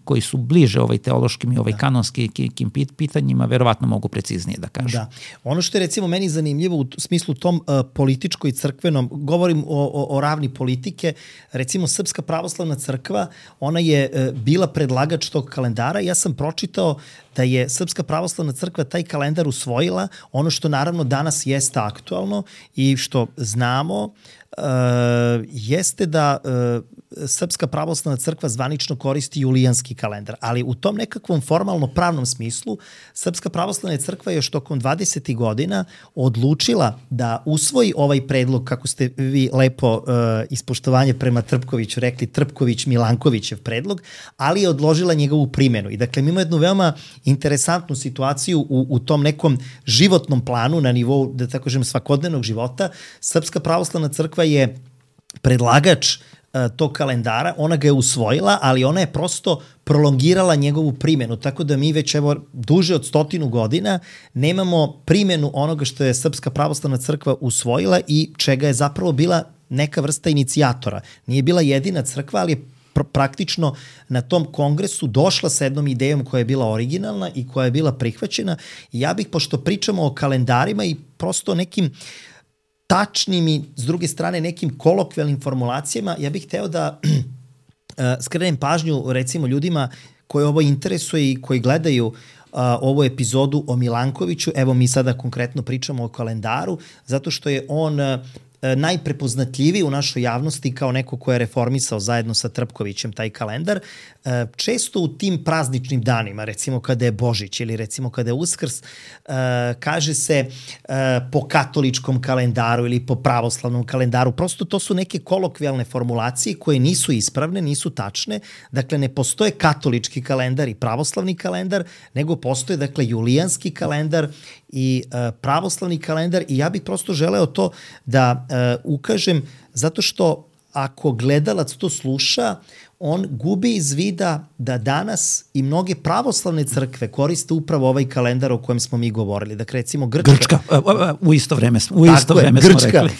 koji su bliže ovaj teološkim i ovaj da. kanonskim pitanjima verovatno mogu preciznije da kažu. Da.
Ono što je recimo meni zanimljivo u smislu tom uh, političko i crkvenom, govorim o, o, o ravni politike, recimo Srpska pravoslavna crkva, ona je uh, bila predlagač tog kalendara i ja sam pročitao da je Srpska pravoslavna crkva taj kalendar usvojila, ono što naravno danas jeste aktualno i što znamo, uh, jeste da uh, Srpska pravoslavna crkva zvanično koristi julijanski kalendar, ali u tom nekakvom formalno pravnom smislu Srpska pravoslavna crkva je još tokom dvadesetih godina odlučila da usvoji ovaj predlog, kako ste vi lepo uh, ispoštovanje prema Trpkoviću rekli, Trpković-Milankovićev predlog, ali je odložila njegovu primjenu. I dakle, mi imamo jednu veoma interesantnu situaciju u, u tom nekom životnom planu na nivou, da tako kažem, svakodnevnog života. Srpska pravoslavna crkva je predlagač tog kalendara, ona ga je usvojila, ali ona je prosto prolongirala njegovu primjenu, tako da mi već evo duže od stotinu godina nemamo primjenu onoga što je Srpska pravoslavna crkva usvojila i čega je zapravo bila neka vrsta inicijatora. Nije bila jedina crkva, ali je pr- praktično na tom kongresu došla sa jednom idejom koja je bila originalna i koja je bila prihvaćena. I ja bih, pošto pričamo o kalendarima i prosto nekim tačnim i s druge strane nekim kolokvijalnim formulacijama, ja bih hteo da skrenem pažnju recimo ljudima koji ovo interesuje i koji gledaju uh, ovu epizodu o Milankoviću. Evo mi sada konkretno pričamo o kalendaru, zato što je on uh, najprepoznatljiviji u našoj javnosti kao neko ko je reformisao zajedno sa Trpkovićem taj kalendar. Često u tim prazničnim danima, recimo kada je Božić ili recimo kada je Uskrs, kaže se po katoličkom kalendaru ili po pravoslavnom kalendaru. Prosto to su neke kolokvijalne formulacije koje nisu ispravne, nisu tačne. Dakle, ne postoje katolički kalendar i pravoslavni kalendar, nego postoje, dakle, julijanski kalendar i uh, pravoslavni kalendar i ja bih prosto želeo to da uh, ukažem, zato što ako gledalac to sluša, on gubi iz vida da danas i mnoge pravoslavne crkve koriste upravo ovaj kalendar o kojem smo mi govorili. Dakle, recimo Grčka.
Grčka, u isto vreme, u isto vreme smo
Grčka.
rekli.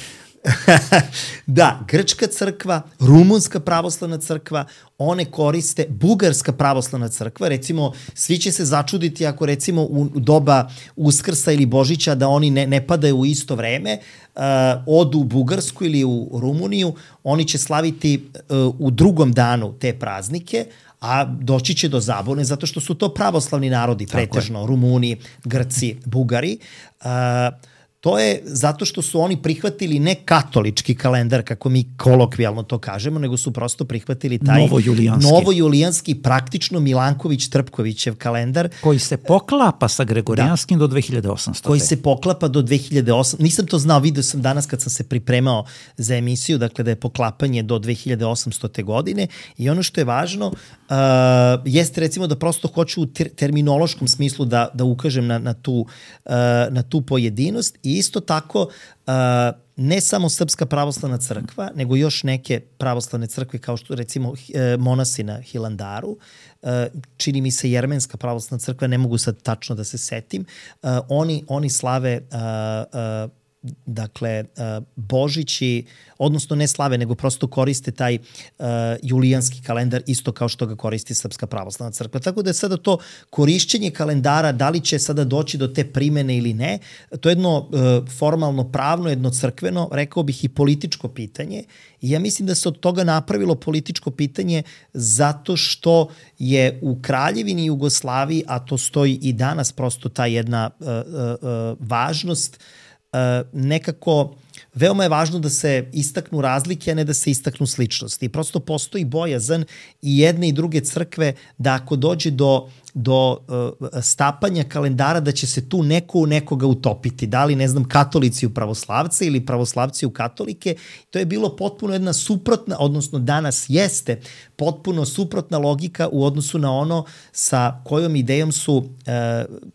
Da, Grčka crkva, Rumunska pravoslavna crkva, one koriste, Bugarska pravoslavna crkva, recimo, svi će se začuditi ako recimo u doba Uskrsa ili Božića da oni ne, ne padaju u isto vreme, uh, odu u Bugarsku ili u Rumuniju, oni će slaviti uh, u drugom danu te praznike, a doći će do zabune zato što su to pravoslavni narodi, pretežno Rumuni, Grci, Bugari. Uh, To je zato što su oni prihvatili ne katolički kalendar, kako mi kolokvijalno to kažemo, nego su prosto prihvatili taj
novojulijanski,
novojulijanski praktično Milanković-Trpkovićev kalendar.
Koji se poklapa sa Gregorijanskim da, do dve hiljade osamstote.
Koji se poklapa do dve hiljade osamstote. Nisam to znao, vidio sam danas kad sam se pripremao za emisiju, dakle da je poklapanje do dve hiljade osamstote godine i ono što je važno uh, jeste recimo da prosto hoću u ter- terminološkom smislu da, da ukažem na, na, tu, uh, na tu pojedinost i isto tako, uh, ne samo Srpska pravoslavna crkva, nego još neke pravoslavne crkve kao što recimo uh, monasi na Hilandaru, uh, čini mi se Jermenska pravoslavna crkva, ne mogu sad tačno da se setim, uh, oni, oni slave uh, uh, dakle, uh, Božići, odnosno ne slave, nego prosto koriste taj uh, julijanski kalendar isto kao što ga koristi Srpska pravoslavna crkva. Tako da je sada to korišćenje kalendara, da li će sada doći do te primene ili ne, to je jedno uh, formalno pravno, jedno crkveno, rekao bih i političko pitanje. I ja mislim da se od toga napravilo političko pitanje zato što je u Kraljevini Jugoslaviji, a to stoji i danas prosto ta jedna uh, uh, uh, važnost, Uh, nekako veoma je važno da se istaknu razlike, a ne da se istaknu sličnosti. I prosto postoji bojazan i jedne i druge crkve da ako dođe do do uh, stapanja kalendara da će se tu neko u nekoga utopiti. Da li, ne znam, katolici u pravoslavce ili pravoslavci u katolike. To je bilo potpuno jedna suprotna, odnosno danas jeste potpuno suprotna logika u odnosu na ono sa kojom idejom su uh,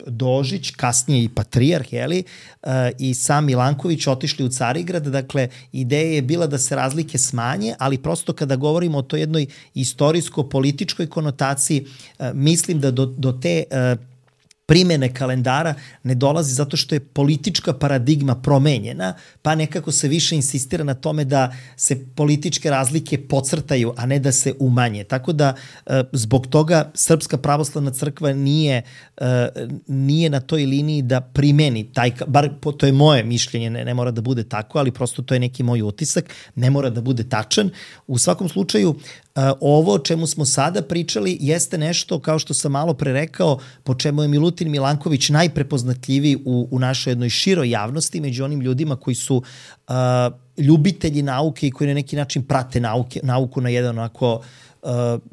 Dožić, kasnije i Patrijarh, jeli, uh, i sam Milanković otišli u Carigrad. Dakle, ideja je bila da se razlike smanje, ali prosto kada govorimo o toj jednoj istorijsko-političkoj konotaciji, uh, mislim da do, do te uh, primene kalendara ne dolazi zato što je politička paradigma promenjena, pa nekako se više insistira na tome da se političke razlike podcrtaju, a ne da se umanje. Tako da zbog toga Srpska pravoslavna crkva nije, nije na toj liniji da primeni taj, bar to je moje mišljenje, ne, ne mora da bude tako, ali prosto to je neki moj utisak, ne mora da bude tačan. U svakom slučaju, ovo o čemu smo sada pričali jeste nešto, kao što sam malo pre rekao, po čemu je Milutin Milanković najprepoznatljiviji u, u našoj jednoj široj javnosti, među onim ljudima koji su uh, ljubitelji nauke i koji na neki način prate nauke, nauku na jedan onako uh,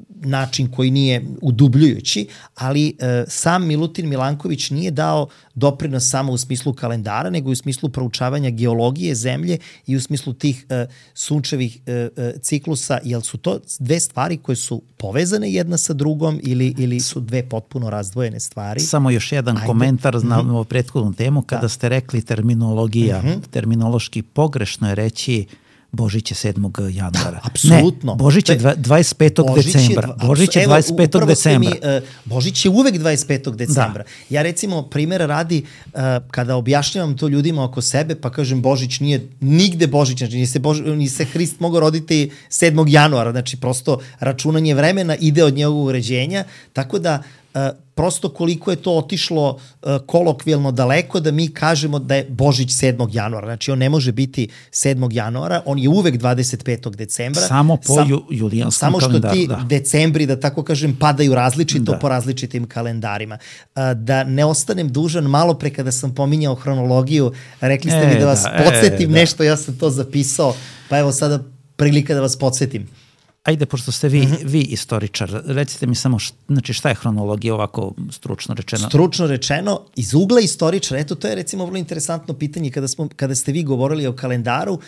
način koji nije udubljujući, ali uh, sam Milutin Milanković nije dao doprinos samo u smislu kalendara, nego i u smislu proučavanja geologije zemlje i u smislu tih uh, sunčevih uh, uh, ciklusa, jer su to dve stvari koje su povezane jedna sa drugom ili, ili su dve potpuno razdvojene stvari.
Samo još jedan Ajde. komentar na mm-hmm. prethodnu temu, kada da. ste rekli terminologija, mm-hmm. terminološki pogrešno je reći Božić je sedmog januara.
Apsolutno.
Ne, Božić je dvadeset petog decembra. Božić je dvadeset petog decembra.
Mi, uh, Božić je uvek dvadeset petog decembra. Da. Ja recimo, primjera radi, uh, kada objašnjavam to ljudima oko sebe, pa kažem Božić nije nigde Božić, znači ni se, Bož, ni se Hrist mogao roditi sedmog januara, znači prosto računanje vremena ide od njegovog uređenja, tako da uh, prosto koliko je to otišlo uh, kolokvijalno daleko da mi kažemo da je Božić sedmog januara. Znači, on ne može biti sedmog januara, on je uvek dvadeset petog decembra.
Samo po Sam, ju, julijanskom kalendaru. Samo što ti da. decembri, da tako kažem, padaju različito da. po različitim kalendarima. Uh, da ne ostanem dužan, malo pre kada sam pominjao hronologiju, rekli ste e, mi da vas da, podsjetim e, da. nešto, ja sam to zapisao, pa evo sada prilika da vas podsjetim. Ajde, pošto ste vi, mm-hmm. vi istoričar, recite mi samo š, znači šta je hronologija ovako stručno rečeno?
Stručno rečeno, iz ugla istoričara, eto to je recimo vrlo interesantno pitanje kada, smo, kada ste vi govorili o kalendaru, uh,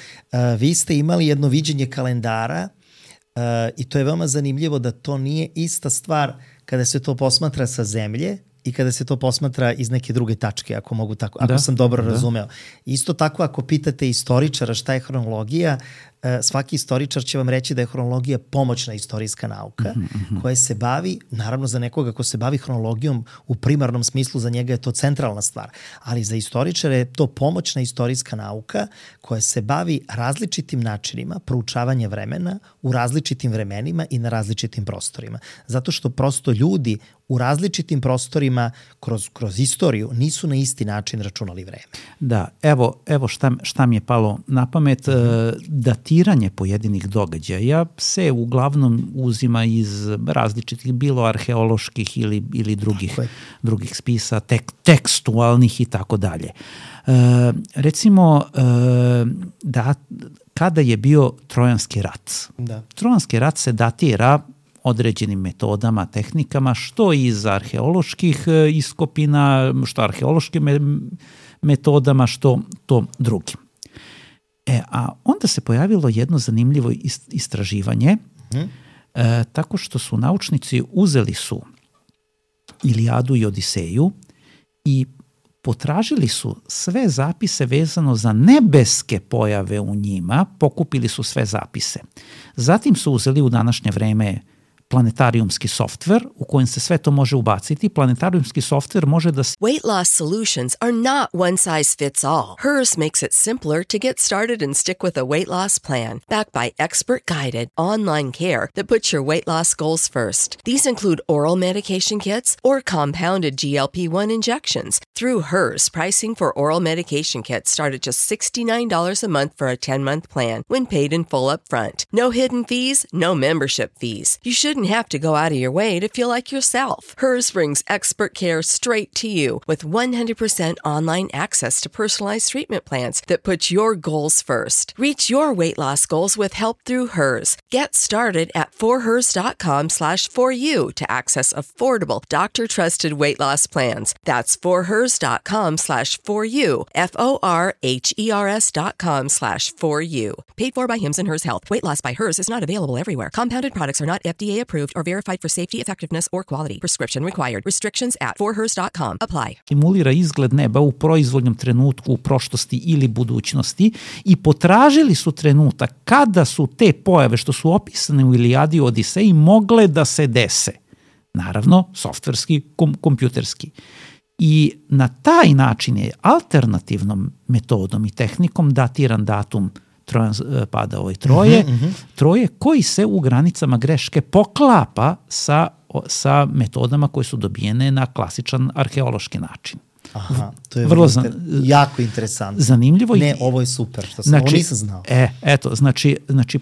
vi ste imali jedno viđenje kalendara uh, i to je veoma zanimljivo da to nije ista stvar kada se to posmatra sa zemlje i kada se to posmatra iz neke druge tačke, ako mogu tako, ako da, sam dobro da. razumeo. Isto tako, ako pitate istoričara šta je hronologija, svaki istoričar će vam reći da je hronologija pomoćna istorijska nauka, mm-hmm. koja se bavi, naravno za nekoga ko se bavi hronologijom u primarnom smislu, za njega je to centralna stvar, ali za istoričare je to pomoćna istorijska nauka koja se bavi različitim načinima proučavanja vremena u različitim vremenima i na različitim prostorima. Zato što prosto ljudi u različitim prostorima kroz, kroz istoriju nisu na isti način računali vreme.
Da, evo, evo šta, šta mi je palo na pamet, mm-hmm. datiranje pojedinih događaja se uglavnom uzima iz različitih, bilo arheoloških ili, ili drugih, drugih spisa, tek, tekstualnih i tako dalje. E, recimo, e, da, kada je bio Trojanski rat? Da. Trojanski rat se datira određenim metodama, tehnikama, što iz arheoloških iskopina, što arheološkim metodama, što to drugim. E, a onda se pojavilo jedno zanimljivo istraživanje, hmm. e, tako što su naučnici uzeli su Ilijadu i Odiseju i potražili su sve zapise vezano za nebeske pojave u njima, pokupili su sve zapise. Zatim su uzeli u današnje vreme planetarijumski softver u kojem se sve to može ubaciti. Planetarijumski softver može da se...
Weight loss solutions are not one size fits all. Hers makes it simpler to get started and stick with a weight loss plan, backed by expert-guided online care that puts your weight loss goals first. These include oral medication kits or compounded G L P one injections. Through Hers, pricing for oral medication kits start at just sixty-nine dollars a month for a ten-month plan when paid in full up front. No hidden fees, no membership fees. You shouldn't shouldn't have to go out of your way to feel like yourself. Hers brings expert care straight to you with one hundred percent online access to personalized treatment plans that put your goals first. Reach your weight loss goals with help through Hers. Get started at forhers.com slash for you to access affordable, doctor-trusted weight loss plans. That's forhers.com slash for you, F O R H E R S dot com slash for you. Paid for by Hims and Hers Health. Weight loss by Hers is not available everywhere. Compounded products are not F D A approved or verified for safety, effectiveness, or quality. Prescription required. Restrictions at for hers dot com apply.
Simulira izgled neba u proizvoljnom trenutku u prošlosti ili budućnosti i potražili su trenutak kada su te pojave što su opisane u Ilijadi i Odiseji mogle da se dese. Naravno, softverski, kom, kompjuterski. I na taj način je alternativnom metodom i tehnikom datiran datum trans, pada ove troje, uh-huh, uh-huh. troje koji se u granicama greške poklapa sa, sa metodama koje su dobijene na klasičan arheološki način.
Aha, to je vrlo, vrlo inter... jako interesantno.
Zanimljivo.
Ne, ovo je super, što sam,
znači,
ovo nisam znao.
E, eto, znači, znači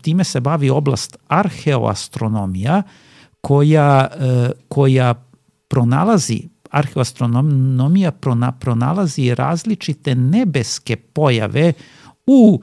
time se bavi oblast arheoastronomija koja, koja pronalazi arheoastronomija prona, pronalazi različite nebeske pojave u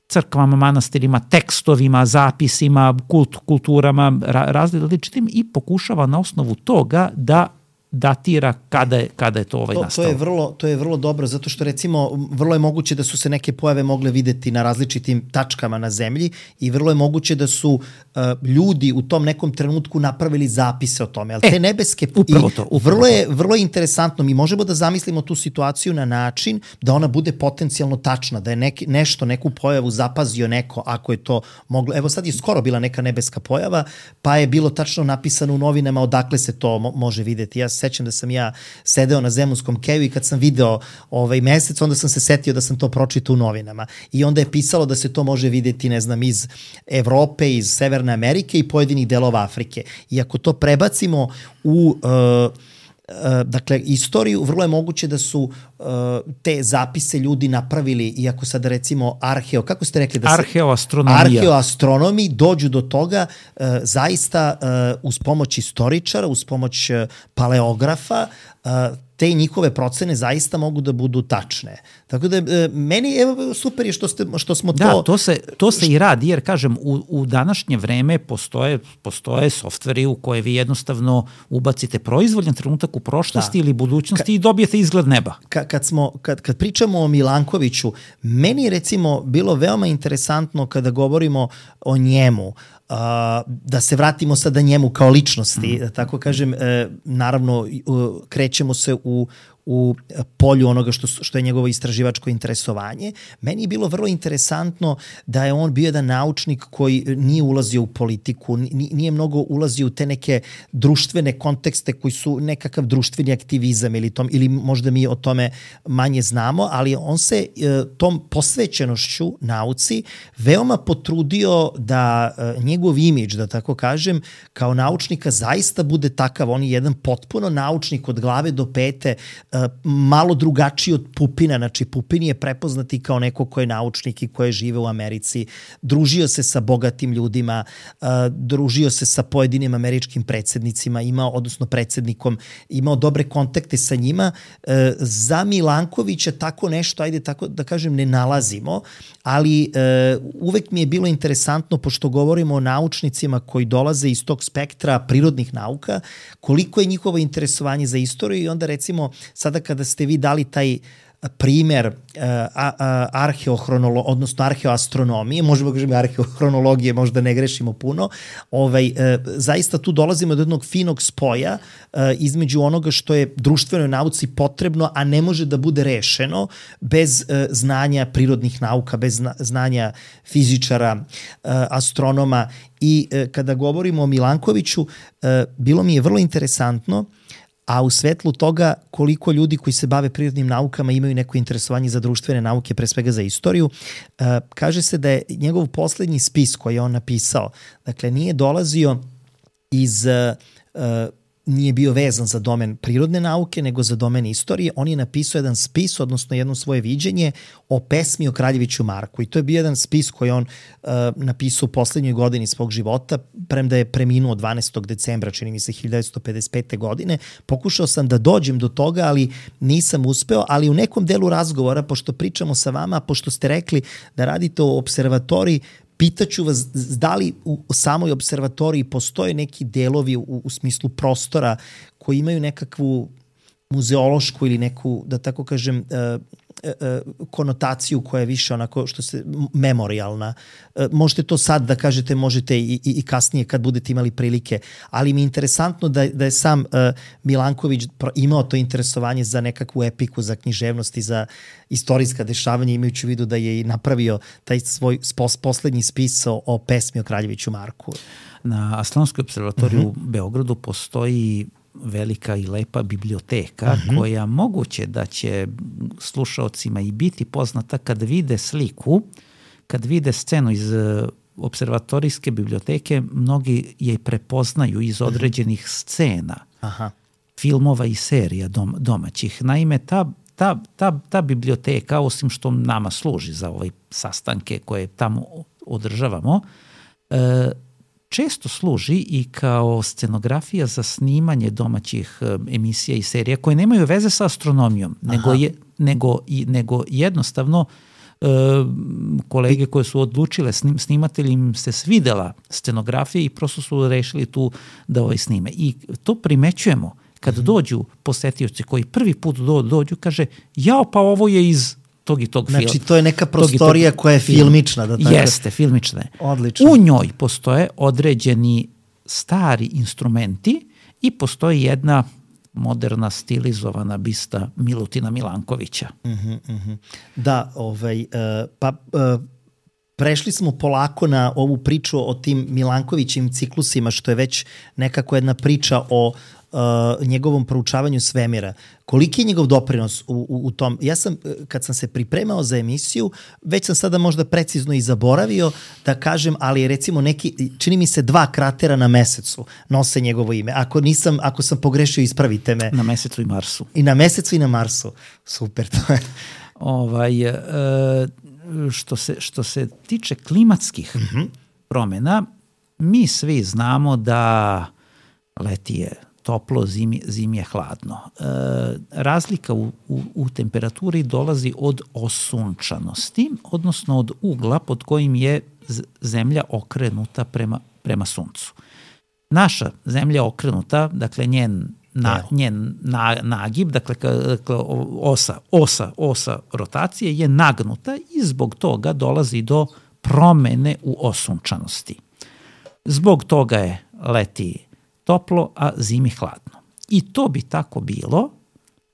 crkvama, manastirima, tekstovima, zapisima, kult, kulturama, ra, različitim i pokušava na osnovu toga da datira kada je, kada je to ovaj
to,
nastalo.
To je, vrlo, to je vrlo dobro, zato što recimo vrlo je moguće da su se neke pojave mogle videti na različitim tačkama na zemlji i vrlo je moguće da su uh, ljudi u tom nekom trenutku napravili zapise o tome. Ali e, te nebeske...
Upravo to. Upravo
vrlo, je, vrlo je interesantno. Mi možemo da zamislimo tu situaciju na način da ona bude potencijalno tačna, da je neki, nešto, neku pojavu zapazio neko, ako je to moglo... Evo sad je skoro bila neka nebeska pojava, pa je bilo tačno napisano u novinama odakle se to mo- može videti. Ja sećam da sam ja sedeo na Zemunskom keju i kad sam video ovaj mesec, onda sam se setio da sam to pročitao u novinama. I onda je pisalo da se to može videti, ne znam, iz Evrope, iz Severne Amerike i pojedinih delova Afrike. I ako to prebacimo u... Uh, Uh, dakle, istoriju, vrlo je moguće da su uh, te zapise ljudi napravili, iako sad recimo arheo, kako ste rekli? Da se,
arheoastronomija.
Arheoastronomi dođu do toga uh, zaista uh, uz pomoć istoričara, uz pomoć uh, paleografa, uh, te njihove procene zaista mogu da budu tačne. Tako da e, meni evo, super je što, ste, što smo
da,
to...
Da, to se, to se i radi, jer kažem, u, u današnje vreme postoje, postoje softveri u koje vi jednostavno ubacite proizvoljan trenutak u prošlosti da. ili budućnosti Ka, i dobijete izgled neba.
Ka, kad, smo, kad, kad pričamo o Milankoviću, meni je recimo bilo veoma interesantno kada govorimo o njemu, uh, da se vratimo sada njemu kao ličnosti, mm. da tako kažem, e, naravno uh, krećemo se u u polju onoga što, što je njegovo istraživačko interesovanje. Meni je bilo vrlo interesantno da je on bio jedan naučnik koji nije ulazio u politiku, nije mnogo ulazio u te neke društvene kontekste koji su nekakav društveni aktivizam ili, tom, ili možda mi o tome manje znamo, ali on se tom posvećenošću nauci veoma potrudio da njegov imidž, da tako kažem, kao naučnika zaista bude takav. On je jedan potpuno naučnik od glave do pete, malo drugačiji od Pupina. Znači, Pupin je prepoznati kao neko ko je naučnik i ko je žive u Americi. Družio se sa bogatim ljudima, uh, družio se sa pojedinim američkim predsednicima, imao, odnosno predsednikom, imao dobre kontakte sa njima. Uh, za Milankovića tako nešto, ajde tako da kažem, ne nalazimo, ali uh, uvek mi je bilo interesantno, pošto govorimo o naučnicima koji dolaze iz tog spektra prirodnih nauka, koliko je njihovo interesovanje za istoriju i onda recimo sada kada ste vi dali taj primer uh, arheohronolo, odnosno arheoastronomije, možemo da kažemo arheohronologije, možda ne grešimo puno, ovaj, uh, zaista tu dolazimo do jednog finog spoja uh, između onoga što je društvenoj nauci potrebno, a ne može da bude rešeno bez uh, znanja prirodnih nauka, bez zna, znanja fizičara, uh, astronoma. I uh, kada govorimo o Milankoviću, uh, bilo mi je vrlo interesantno, a u svetlu toga koliko ljudi koji se bave prirodnim naukama imaju neko interesovanje za društvene nauke, pre svega za istoriju, uh, kaže se da je njegov poslednji spis koji je on napisao, dakle nije dolazio iz uh, nije bio vezan za domen prirodne nauke, nego za domen istorije. On je napisao jedan spis, odnosno jedno svoje viđenje o pesmi o Kraljeviću Marku. I to je bio jedan spis koji on uh, napisao u poslednjoj godini svog života, premda je preminuo dvanaestog decembra, čini mi se hiljadu devetsto pedeset pete. godine. Pokušao sam da dođem do toga, ali nisam uspeo, ali u nekom delu razgovora, pošto pričamo sa vama, pošto ste rekli da radite u observatoriji, pitaću vas da li u samoj observatoriji postoje neki delovi u, u smislu prostora koji imaju nekakvu muzeološku ili neku, da tako kažem, uh, uh, konotaciju koja je više onako što se memorijalna. Uh, možete to sad da kažete, možete i, i, i kasnije kad budete imali prilike, ali mi je interesantno da, da je sam uh, Milanković imao to interesovanje za nekakvu epiku, za književnost i za istorijska dešavanja, imajući u vidu da je i napravio taj svoj spos, poslednji spis o, o pesmi o Kraljeviću Marku.
Na Astronomskoj observatoriju uh-huh. u Beogradu postoji velika i lepa biblioteka uh-huh. koja moguće da će slušaocima i biti poznata kad vide sliku, kad vide scenu iz observatorijske biblioteke, mnogi je prepoznaju iz određenih scena, aha, filmova i serija dom, domaćih. Naime, ta, ta, ta, ta biblioteka, osim što nama služi za ove sastanke koje tamo održavamo, e, često služi i kao scenografija za snimanje domaćih emisija i serija koje nemaju veze sa astronomijom, nego, je, nego, i, nego jednostavno e, kolege koje su odlučile, snim, snimatelji im se svidela scenografija i prosto su rešili tu da ovaj snime. I to primećujemo kad dođu posetioci koji prvi put do, dođu, kaže, jao, pa ovo je iz tog i tog filma.
Znači, to je neka prostorija tog tog koja je filmična. Da tako...
Jeste, filmična je.
Odlično.
U njoj postoje određeni stari instrumenti i postoji jedna moderna stilizovana bista Milutina Milankovića.
Uh-huh, uh-huh. Da, ovaj, uh, pa uh, prešli smo polako na ovu priču o tim Milankovićim ciklusima, što je već nekako jedna priča o Uh, njegovom proučavanju svemira. Koliki je njegov doprinos u, u, u tom? Ja sam, kad sam se pripremao za emisiju, već sam sada možda precizno i zaboravio da kažem, ali recimo neki, čini mi se dva kratera na Mesecu nose njegovo ime. Ako nisam, ako sam pogrešio, ispravite me.
Na Mesecu i Marsu.
I na Mesecu i na Marsu. Super, to je.
Ovaj, uh, što, se, što se tiče klimatskih uh-huh. promjena, mi svi znamo da leti je toplo, zimi, zimi je hladno. E, razlika u, u, u temperaturi dolazi od osunčanosti, odnosno od ugla pod kojim je zemlja okrenuta prema, prema suncu. Naša zemlja je okrenuta, dakle njen, na, njen na, nagib, dakle, dakle osa, osa, osa rotacije je nagnuta i zbog toga dolazi do promene u osunčanosti. Zbog toga je leti toplo, a zimi hladno. I to bi tako bilo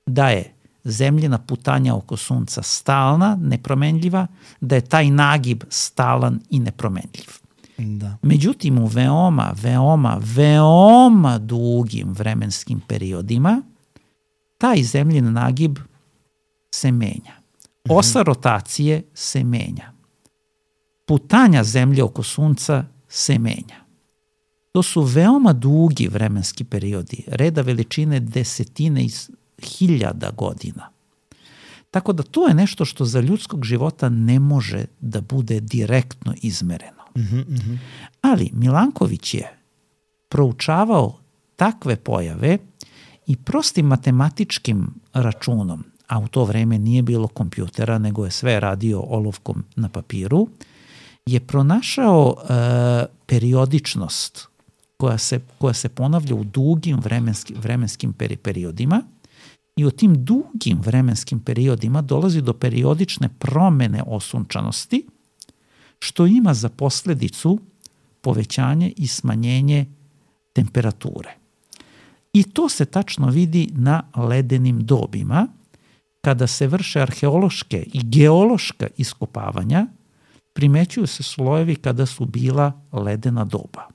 da je zemljina putanja oko sunca stalna, nepromenljiva, da je taj nagib stalan i nepromenljiv.
Da. Međutim,
u veoma, veoma, veoma dugim vremenskim periodima taj zemljin nagib se menja. Osa rotacije se menja. Putanja zemlje oko sunca se menja. To su veoma dugi vremenski periodi, reda veličine desetine i hiljada godina. Tako da to je nešto što za ljudskog života ne može da bude direktno izmereno.
Mm-hmm, mm-hmm.
Ali Milanković je proučavao takve pojave i prostim matematičkim računom, a u to vreme nije bilo kompjutera, nego je sve radio olovkom na papiru, je pronašao e, periodičnost koja se, koja se ponavlja u dugim vremenskim, vremenskim peri, periodima i u tim dugim vremenskim periodima dolazi do periodične promene osunčanosti, što ima za posledicu povećanje i smanjenje temperature. I to se tačno vidi na ledenim dobima, kada se vrše arheološke i geološka iskopavanja, primećuju se slojevi kada su bila ledena doba.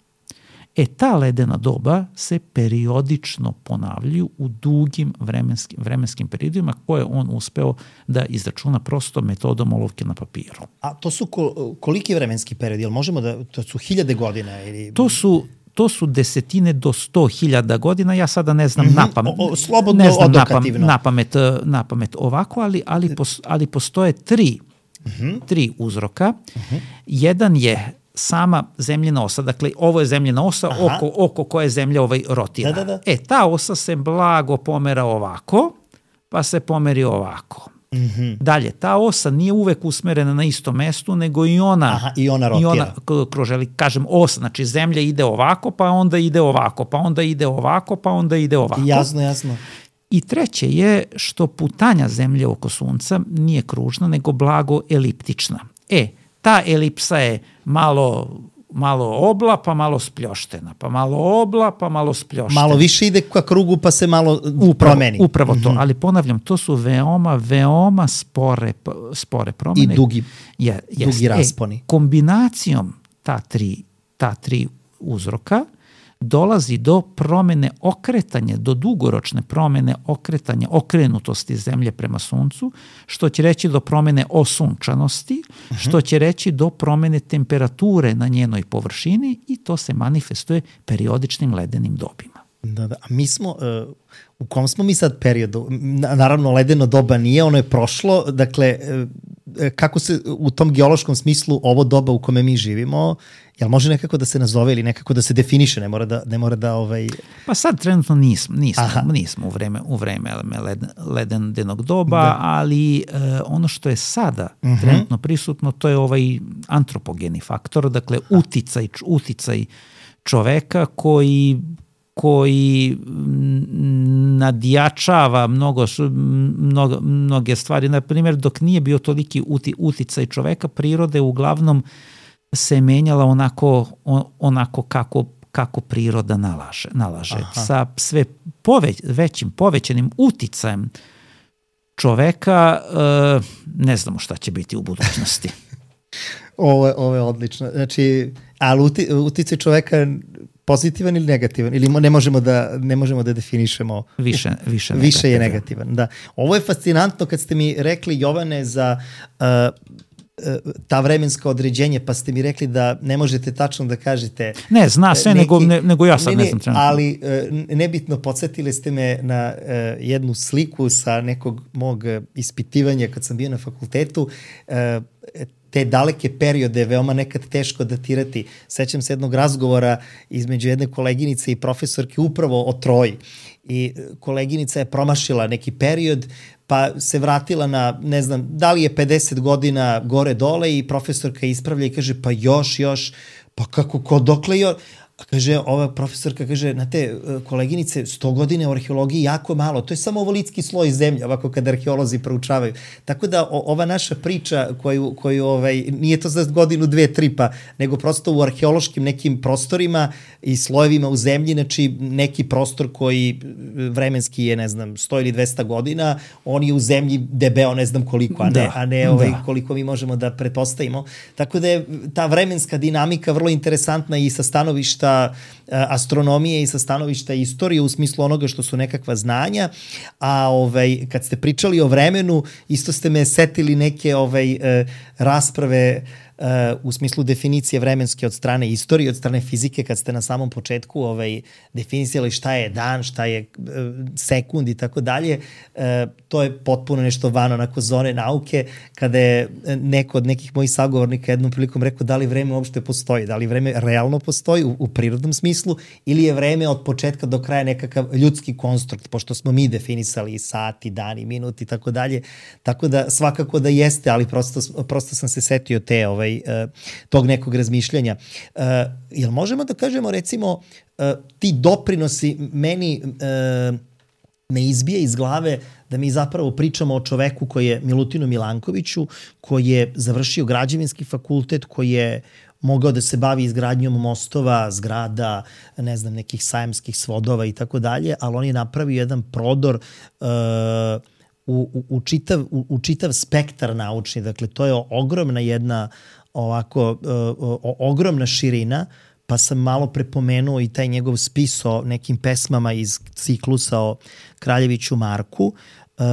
E, ta ledena doba se periodično ponavljaju u dugim vremenskim, vremenskim periodima koje on uspeo da izračuna prosto metodom olovke na papiru.
A to su ko, koliki vremenski periodi? Jel možemo da, to su hiljade godina? Ili...
To su, to su desetine do sto hiljada godina, ja sada ne znam
mm-hmm.
napamet,
o, o, slobodno
ne znam
odokativno.
Napamet, napamet ovako, ali, ali, pos, ali postoje tri, mm-hmm. tri uzroka. Mm-hmm. Jedan je sama zemljina osa, dakle ovo je zemljina osa oko, oko koje zemlja ovaj rotira.
Da, da, da.
E, ta osa se blago pomera ovako, pa se pomeri ovako.
Mm-hmm.
Dalje, ta osa nije uvek usmerena na istom mestu, nego i ona,
Aha, i ona rotira.
I ona kroželi, kažem, osa, znači zemlja ide ovako, pa onda ide ovako, pa onda ide ovako, pa onda ide ovako.
Jasno, jasno.
I treće je što putanja zemlje oko sunca nije kružna, nego blago eliptična. E, ta elipsa je malo... malo obla, pa malo spljoštena, pa malo obla, pa malo spljoštena.
Malo više ide ka krugu, pa se malo
upravo,
promeni.
Upravo to,
mm-hmm.
ali ponavljam, to su veoma, veoma spore, spore promene.
I dugi,
je,
dugi rasponi.
E, kombinacijom ta tri, ta tri uzroka dolazi do promene okretanja, do dugoročne promene okretanja, okrenutosti zemlje prema suncu, što će reći do promene osunčanosti, uh-huh. što će reći do promene temperature na njenoj površini i to se manifestuje periodičnim ledenim dobima.
Da, da. A mi smo, uh, u kom smo mi sad periodu? Naravno, ledeno doba nije, ono je prošlo, dakle, uh, kako se u tom geološkom smislu ovo doba u kome mi živimo, jel može nekako da se nazove ili nekako da se definiše, ne mora da, ne mora da ovaj...
Pa sad trenutno nismo, nismo, nismo u vreme, u vreme leden, ledenog doba, da. ali uh, ono što je sada uh-huh. trenutno prisutno, to je ovaj antropogeni faktor, dakle uticaj, uticaj čoveka koji koji nadjačava mnogo, mnogo, mnoge stvari. Na primjer, dok nije bio toliki uti, uticaj čoveka, priroda je uglavnom se menjala onako, onako kako, kako priroda nalaže. nalaže. Sa sve poveć, većim, povećanim uticajem čoveka e, ne znamo šta će biti u budućnosti.
ovo, ovo je odlično. Znači, ali uti, uticaj čoveka pozitivan ili negativan? Ili ne možemo da, ne možemo da definišemo?
Više, više,
više je negativan. Da. Ovo je fascinantno kad ste mi rekli, Jovane, za uh, ta vremenska određenja, pa ste mi rekli da ne možete tačno da kažete...
Ne, zna sve, neki, nego, ne, nego ja sad ne, ne znam trenutno.
Ali nebitno, podsjetili ste me na uh, jednu sliku sa nekog mog ispitivanja kad sam bio na fakultetu. Uh, te daleke periode je veoma nekad teško datirati. Sećam se jednog razgovora između jedne koleginice i profesorke upravo o Troji. I koleginica je promašila neki period, pa se vratila na, ne znam, da li je pedeset godina gore dole i profesorka ispravlja i kaže, pa još, još, pa kako, ko, dokle još? A kaže, ova profesorka kaže, znate, koleginice, sto godine u arheologiji jako malo, to je samo ovolitski sloj zemlje, ovako kad arheolozi proučavaju. Tako da o, ova naša priča koju, koju ovaj, nije to za godinu, dve, tri pa, nego prosto u arheološkim nekim prostorima i slojevima u zemlji, znači neki prostor koji vremenski je, ne znam, sto ili dvesta godina, on je u zemlji debeo ne znam koliko, a ne, da, a ne ovaj, da. koliko mi možemo da pretpostavimo. Tako da je ta vremenska dinamika vrlo interesantna i sa stanovišta astronomije i sa stanovišta istorije u smislu onoga što su nekakva znanja, a ovaj, kad ste pričali o vremenu, isto ste me setili neke ovaj, rasprave Uh, u smislu definicije vremenske od strane istorije, od strane fizike, kad ste na samom početku ovaj, definisali šta je dan, šta je uh, sekund i tako dalje, uh, to je potpuno nešto van onako zone nauke, kada je neko od nekih mojih sagovornika jednom prilikom rekao da li vreme uopšte postoji, da li vreme realno postoji u, u prirodnom smislu ili je vreme od početka do kraja nekakav ljudski konstrukt, pošto smo mi definisali sati, dani, minuti i tako dalje, tako da svakako da jeste, ali prosto, prosto sam se setio te ovaj, tog nekog razmišljanja. Uh, jel možemo da kažemo, recimo, uh, ti doprinosi meni uh, me izbije iz glave da mi zapravo pričamo o čoveku koji je Milutinu Milankoviću, koji je završio građevinski fakultet, koji je mogao da se bavi izgradnjom mostova, zgrada, ne znam, nekih sajamskih svodova i tako dalje, ali on je napravio jedan prodor uh, u, u, u, čitav, u, u čitav spektar naučni. Dakle, to je ogromna jedna ovako uh, o, ogromna širina, pa sam malo prepomenuo i taj njegov spis o nekim pesmama iz ciklusa o Kraljeviću Marku. Uh,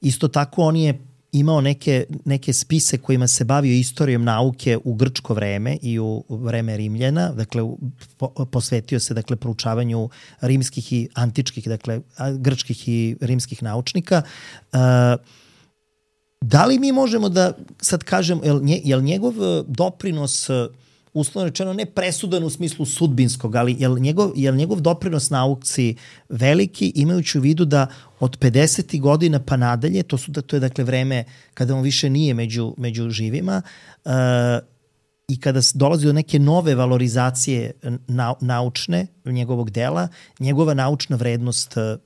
isto tako on je imao neke, neke spise kojima se bavio istorijom nauke u grčko vreme i u vreme Rimljana, dakle po, posvetio se dakle proučavanju rimskih i antičkih, dakle grčkih i rimskih naučnika. Uh, da li mi možemo da sad kažem, je li, je li njegov doprinos uslovno rečeno ne presudan u smislu sudbinskog, ali je li njegov, je li njegov doprinos nauci veliki, imajući u vidu da od pedesetih godina pa nadalje, to, su, to je dakle vreme kada on više nije među, među živima, uh, i kada dolazi do neke nove valorizacije na, naučne njegovog dela, njegova naučna vrednost uh,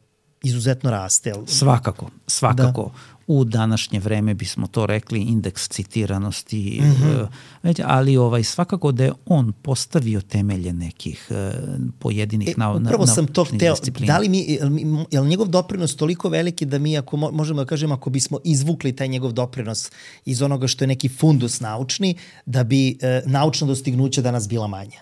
izuzetno raste.
Svakako, svakako. Da. U današnje vreme bismo to rekli indeks citiranosti, mm-hmm. već, ali ovaj, svakako da je on postavio temelje nekih uh, pojedinih e, nau,
upravo
na,
sam to hteo, da li mi, je li njegov doprinos toliko veliki da mi, ako možemo da kažemo, ako bismo izvukli taj njegov doprinos iz onoga što je neki fundus naučni, da bi uh, naučna dostignuća danas bila manja?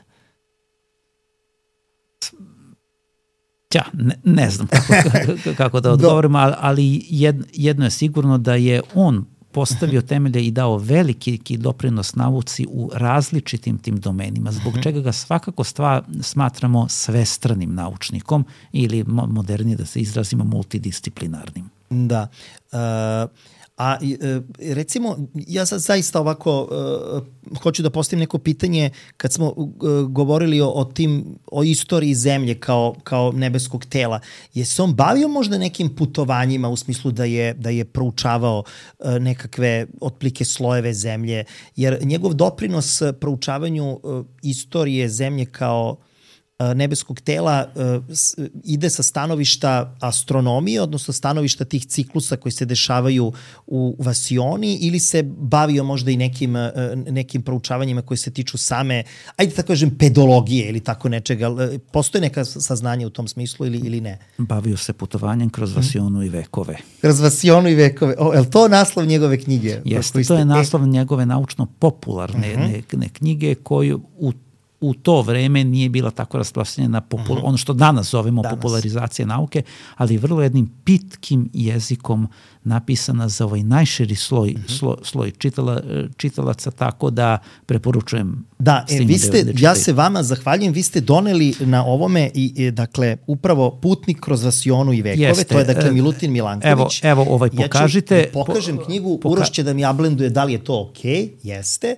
Ja, ne, ne znam kako, kako da odgovorim, ali jedno je sigurno da je on postavio temelje i dao veliki doprinos nauci u različitim tim domenima, zbog čega ga svakako stva, smatramo svestranim naučnikom ili modernije da se izrazimo multidisciplinarnim.
Da. Uh... A recimo, ja sad zaista ovako uh, hoću da postavim neko pitanje kad smo uh, govorili o, o tim, o istoriji zemlje kao, kao nebeskog tela. Je se on bavio možda nekim putovanjima u smislu da je, da je proučavao uh, nekakve otplike slojeve zemlje? Jer njegov doprinos proučavanju uh, istorije zemlje kao nebeskog tela uh, ide sa stanovišta astronomije, odnosno stanovišta tih ciklusa koji se dešavaju u vasioni, ili se bavio možda i nekim, uh, nekim proučavanjima koje se tiču same, ajde tako kažem, pedologije ili tako nečega. Postoje neka saznanja u tom smislu ili, ili ne?
Bavio se putovanjem kroz vasionu i vekove.
Kroz vasionu i vekove. O, je li to naslov njegove knjige?
Jeste, to je naslov njegove naučno-popularne uh-huh. ne, ne, knjige koju u u to vreme nije bila tako rasprostranjena popul- uh-huh. ono što danas zovemo danas. popularizacija nauke, ali vrlo jednim pitkim jezikom napisana za ovaj najširi sloj, uh-huh. sloj, sloj čitala, čitalaca, tako da preporučujem.
Da, e, vi ste, da ja se vama zahvaljujem, vi ste doneli na ovome i, i dakle, upravo Putnik kroz vasionu i vekove, Jeste. To je dakle Milutin Milanković.
Evo, evo ovaj pokažite.
Ja ću pokažem po, knjigu, poka- Uroš će da mi ablenduje da li je to okej, okay? Jeste.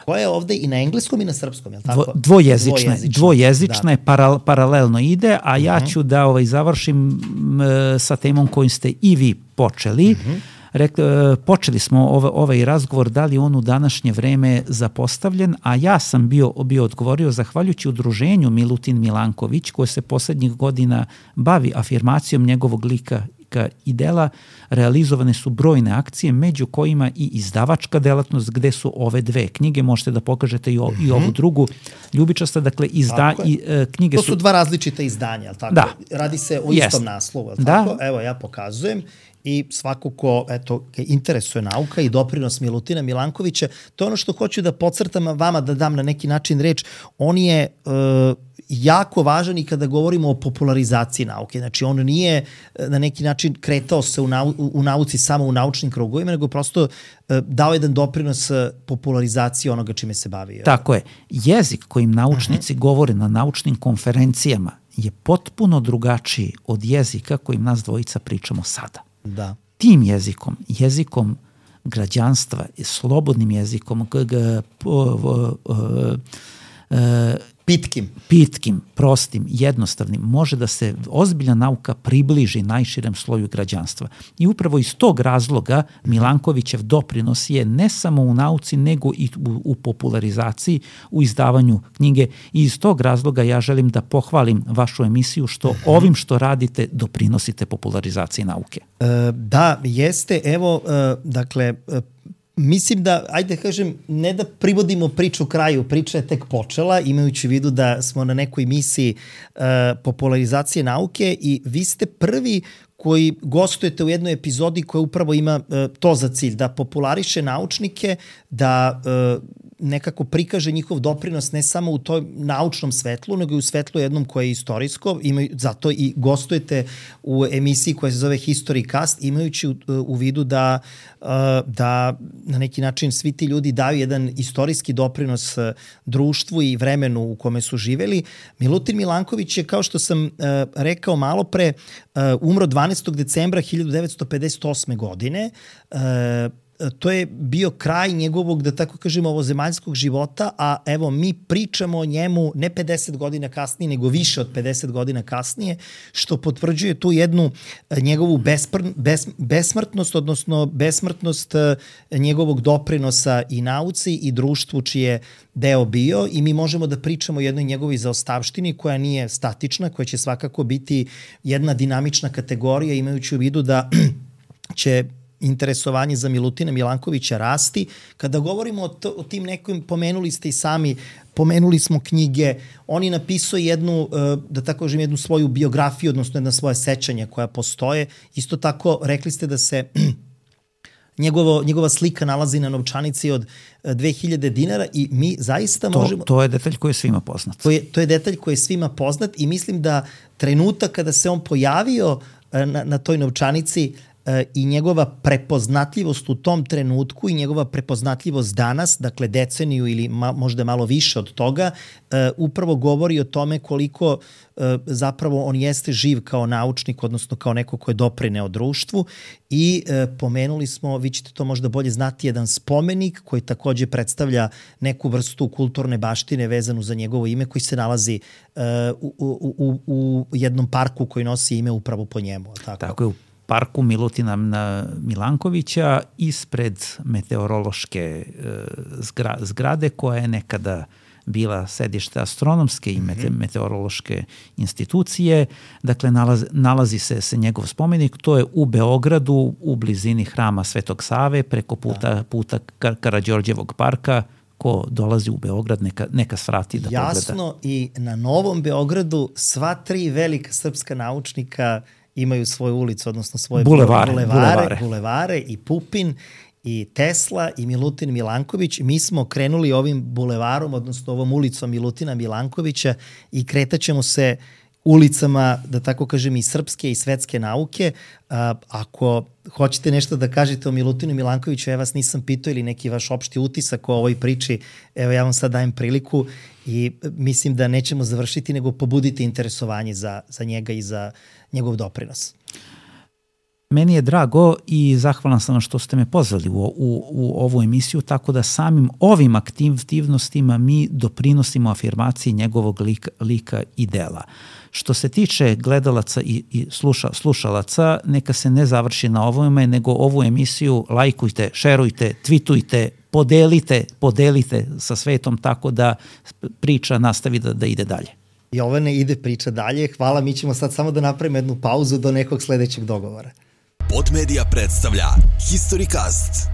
Koja je ovde i na engleskom i na srpskom, je li tako?
Dvojezična, dvojezična, dvojezična da. je, paral, paralelno ide, a uh-huh. ja ću da ovaj, završim m, sa temom kojim ste i vi počeli. Uh-huh. Rekli, počeli smo ovaj, ovaj razgovor, da li on u današnje vreme zapostavljen, a ja sam bio, bio odgovorio zahvaljujući udruženju Milutin Milanković, koje se poslednjih godina bavi afirmacijom njegovog lika i dela, realizovane su brojne akcije, među kojima i izdavačka delatnost, gde su ove dve knjige, možete da pokažete i, o, i ovu drugu ljubičasta, dakle izda, i, e, knjige
su... To su dva različita izdanja, ali tako?
Da.
Radi se o istom yes. naslovu, ali
da.
tako? Evo, ja pokazujem. I svako ko, eto, interesuje nauka i doprinos Milutina Milankovića, to je ono što hoću da podcrtam vama, da dam na neki način reč, on je e, jako važan i kada govorimo o popularizaciji nauke. Znači, on nije na neki način kretao se u, nau, u nauci samo u naučnim krugovima, nego prosto e, dao jedan doprinos popularizaciji onoga čime se bavio.
Tako je. Jezik kojim naučnici uh-huh. govore na naučnim konferencijama je potpuno drugačiji od jezika kojim nas dvojica pričamo sada.
Da.
Tim jezikom, jezikom građanstva, slobodnim jezikom, g, g, po, po, e,
pitkim.
pitkim, prostim, jednostavnim, može da se ozbiljna nauka približi najširem sloju građanstva. I upravo iz tog razloga Milankovićev doprinos je ne samo u nauci, nego i u, u popularizaciji, u izdavanju knjige. I iz tog razloga ja želim da pohvalim vašu emisiju što uh-huh. ovim što radite doprinosite popularizaciji nauke.
E, da, jeste. Evo, e, dakle, e, mislim da, ajde kažem, ne da privodimo priču kraju, priča je tek počela, imajući u vidu da smo na nekoj misiji uh, popularizacije nauke i vi ste prvi koji gostujete u jednoj epizodi koja upravo ima uh, to za cilj, da populariše naučnike, da uh, nekako prikaže njihov doprinos ne samo u toj naučnom svetlu, nego i u svetlu jednom koje je istorijsko. Imaju, zato i gostujete u emisiji koja se zove History Cast, imajući u, u vidu da, da na neki način svi ti ljudi daju jedan istorijski doprinos društvu i vremenu u kome su živeli. Milutin Milanković je, kao što sam rekao malo pre, umro dvanaestog decembra hiljadu devetsto pedeset osme. godine. To je bio kraj njegovog, da tako kažemo, ovozemaljskog života, a evo mi pričamo o njemu ne pedeset godina kasnije, nego više od pedeset godina kasnije, što potvrđuje tu jednu njegovu bespr, bes, besmrtnost, odnosno besmrtnost njegovog doprinosa i nauci i društvu čije deo bio, i mi možemo da pričamo o jednoj njegovoj zaostavštini koja nije statična, koja će svakako biti jedna dinamična kategorija, imajući u vidu da će interesovanje za Milutina Milankovića rasti. Kada govorimo o, to, o tim nekim, pomenuli ste i sami, pomenuli smo knjige, on je napisao jednu, da tako kažem, jednu svoju biografiju, odnosno jedna svoje sećanja koja postoje. Isto tako, rekli ste da se njegovo, njegova slika nalazi na novčanici od dve hiljade dinara i mi zaista
to,
možemo...
To je detalj koji je svima poznat.
To je, to je detalj koji je svima poznat i mislim da trenutak kada se on pojavio na, na toj novčanici i njegova prepoznatljivost u tom trenutku i njegova prepoznatljivost danas, dakle deceniju ili ma, možda malo više od toga, uh, upravo govori o tome koliko uh, zapravo on jeste živ kao naučnik, odnosno kao neko ko je doprineo društvu. I uh, pomenuli smo, vi ćete to možda bolje znati, jedan spomenik koji takođe predstavlja neku vrstu kulturne baštine vezanu za njegovo ime, koji se nalazi uh, u, u, u, u jednom parku koji nosi ime upravo po njemu. Tako,
tako je, u parku Milutina Milankovića ispred meteorološke zgra, zgrade koja je nekada bila sedište astronomske i mete, meteorološke institucije. Dakle, nalazi, nalazi se, se njegov spomenik. To je u Beogradu, u blizini hrama Svetog Save, preko puta, da. puta Kar Karađorđevog parka. Ko dolazi u Beograd, neka, neka svrati da
Jasno,
pogleda.
Jasno, i na Novom Beogradu sva tri velika srpska naučnika imaju svoju ulicu, odnosno svoje
bulevare,
bulevare,
bulevare.
bulevare i Pupin i Tesla i Milutin Milanković. Mi smo krenuli ovim bulevarom, odnosno ovom ulicom Milutina Milankovića i kretaćemo se ulicama, da tako kažem, i srpske i svetske nauke. A, ako hoćete nešto da kažete o Milutinu Milankoviću, ja vas nisam pitao, ili neki vaš opšti utisak o ovoj priči, evo ja vam sad dajem priliku i mislim da nećemo završiti, nego pobuditi interesovanje za, za njega i za njegov doprinos.
Meni je drago i zahvalan sam što ste me pozvali u, u, u ovu emisiju, tako da samim ovim aktivnostima mi doprinosimo afirmaciji njegovog lika, lika i dela. Što se tiče gledalaca i, i sluša, slušalaca, neka se ne završi na ovome, nego ovu emisiju lajkujte, šerujte, tvitujte, podelite, podelite sa svetom tako da priča nastavi da, da ide dalje.
Jovane, ide priča dalje. Hvala, mi ćemo sad samo da napravimo jednu pauzu do nekog sledećeg dogovora.
Podmedia predstavlja History Cast.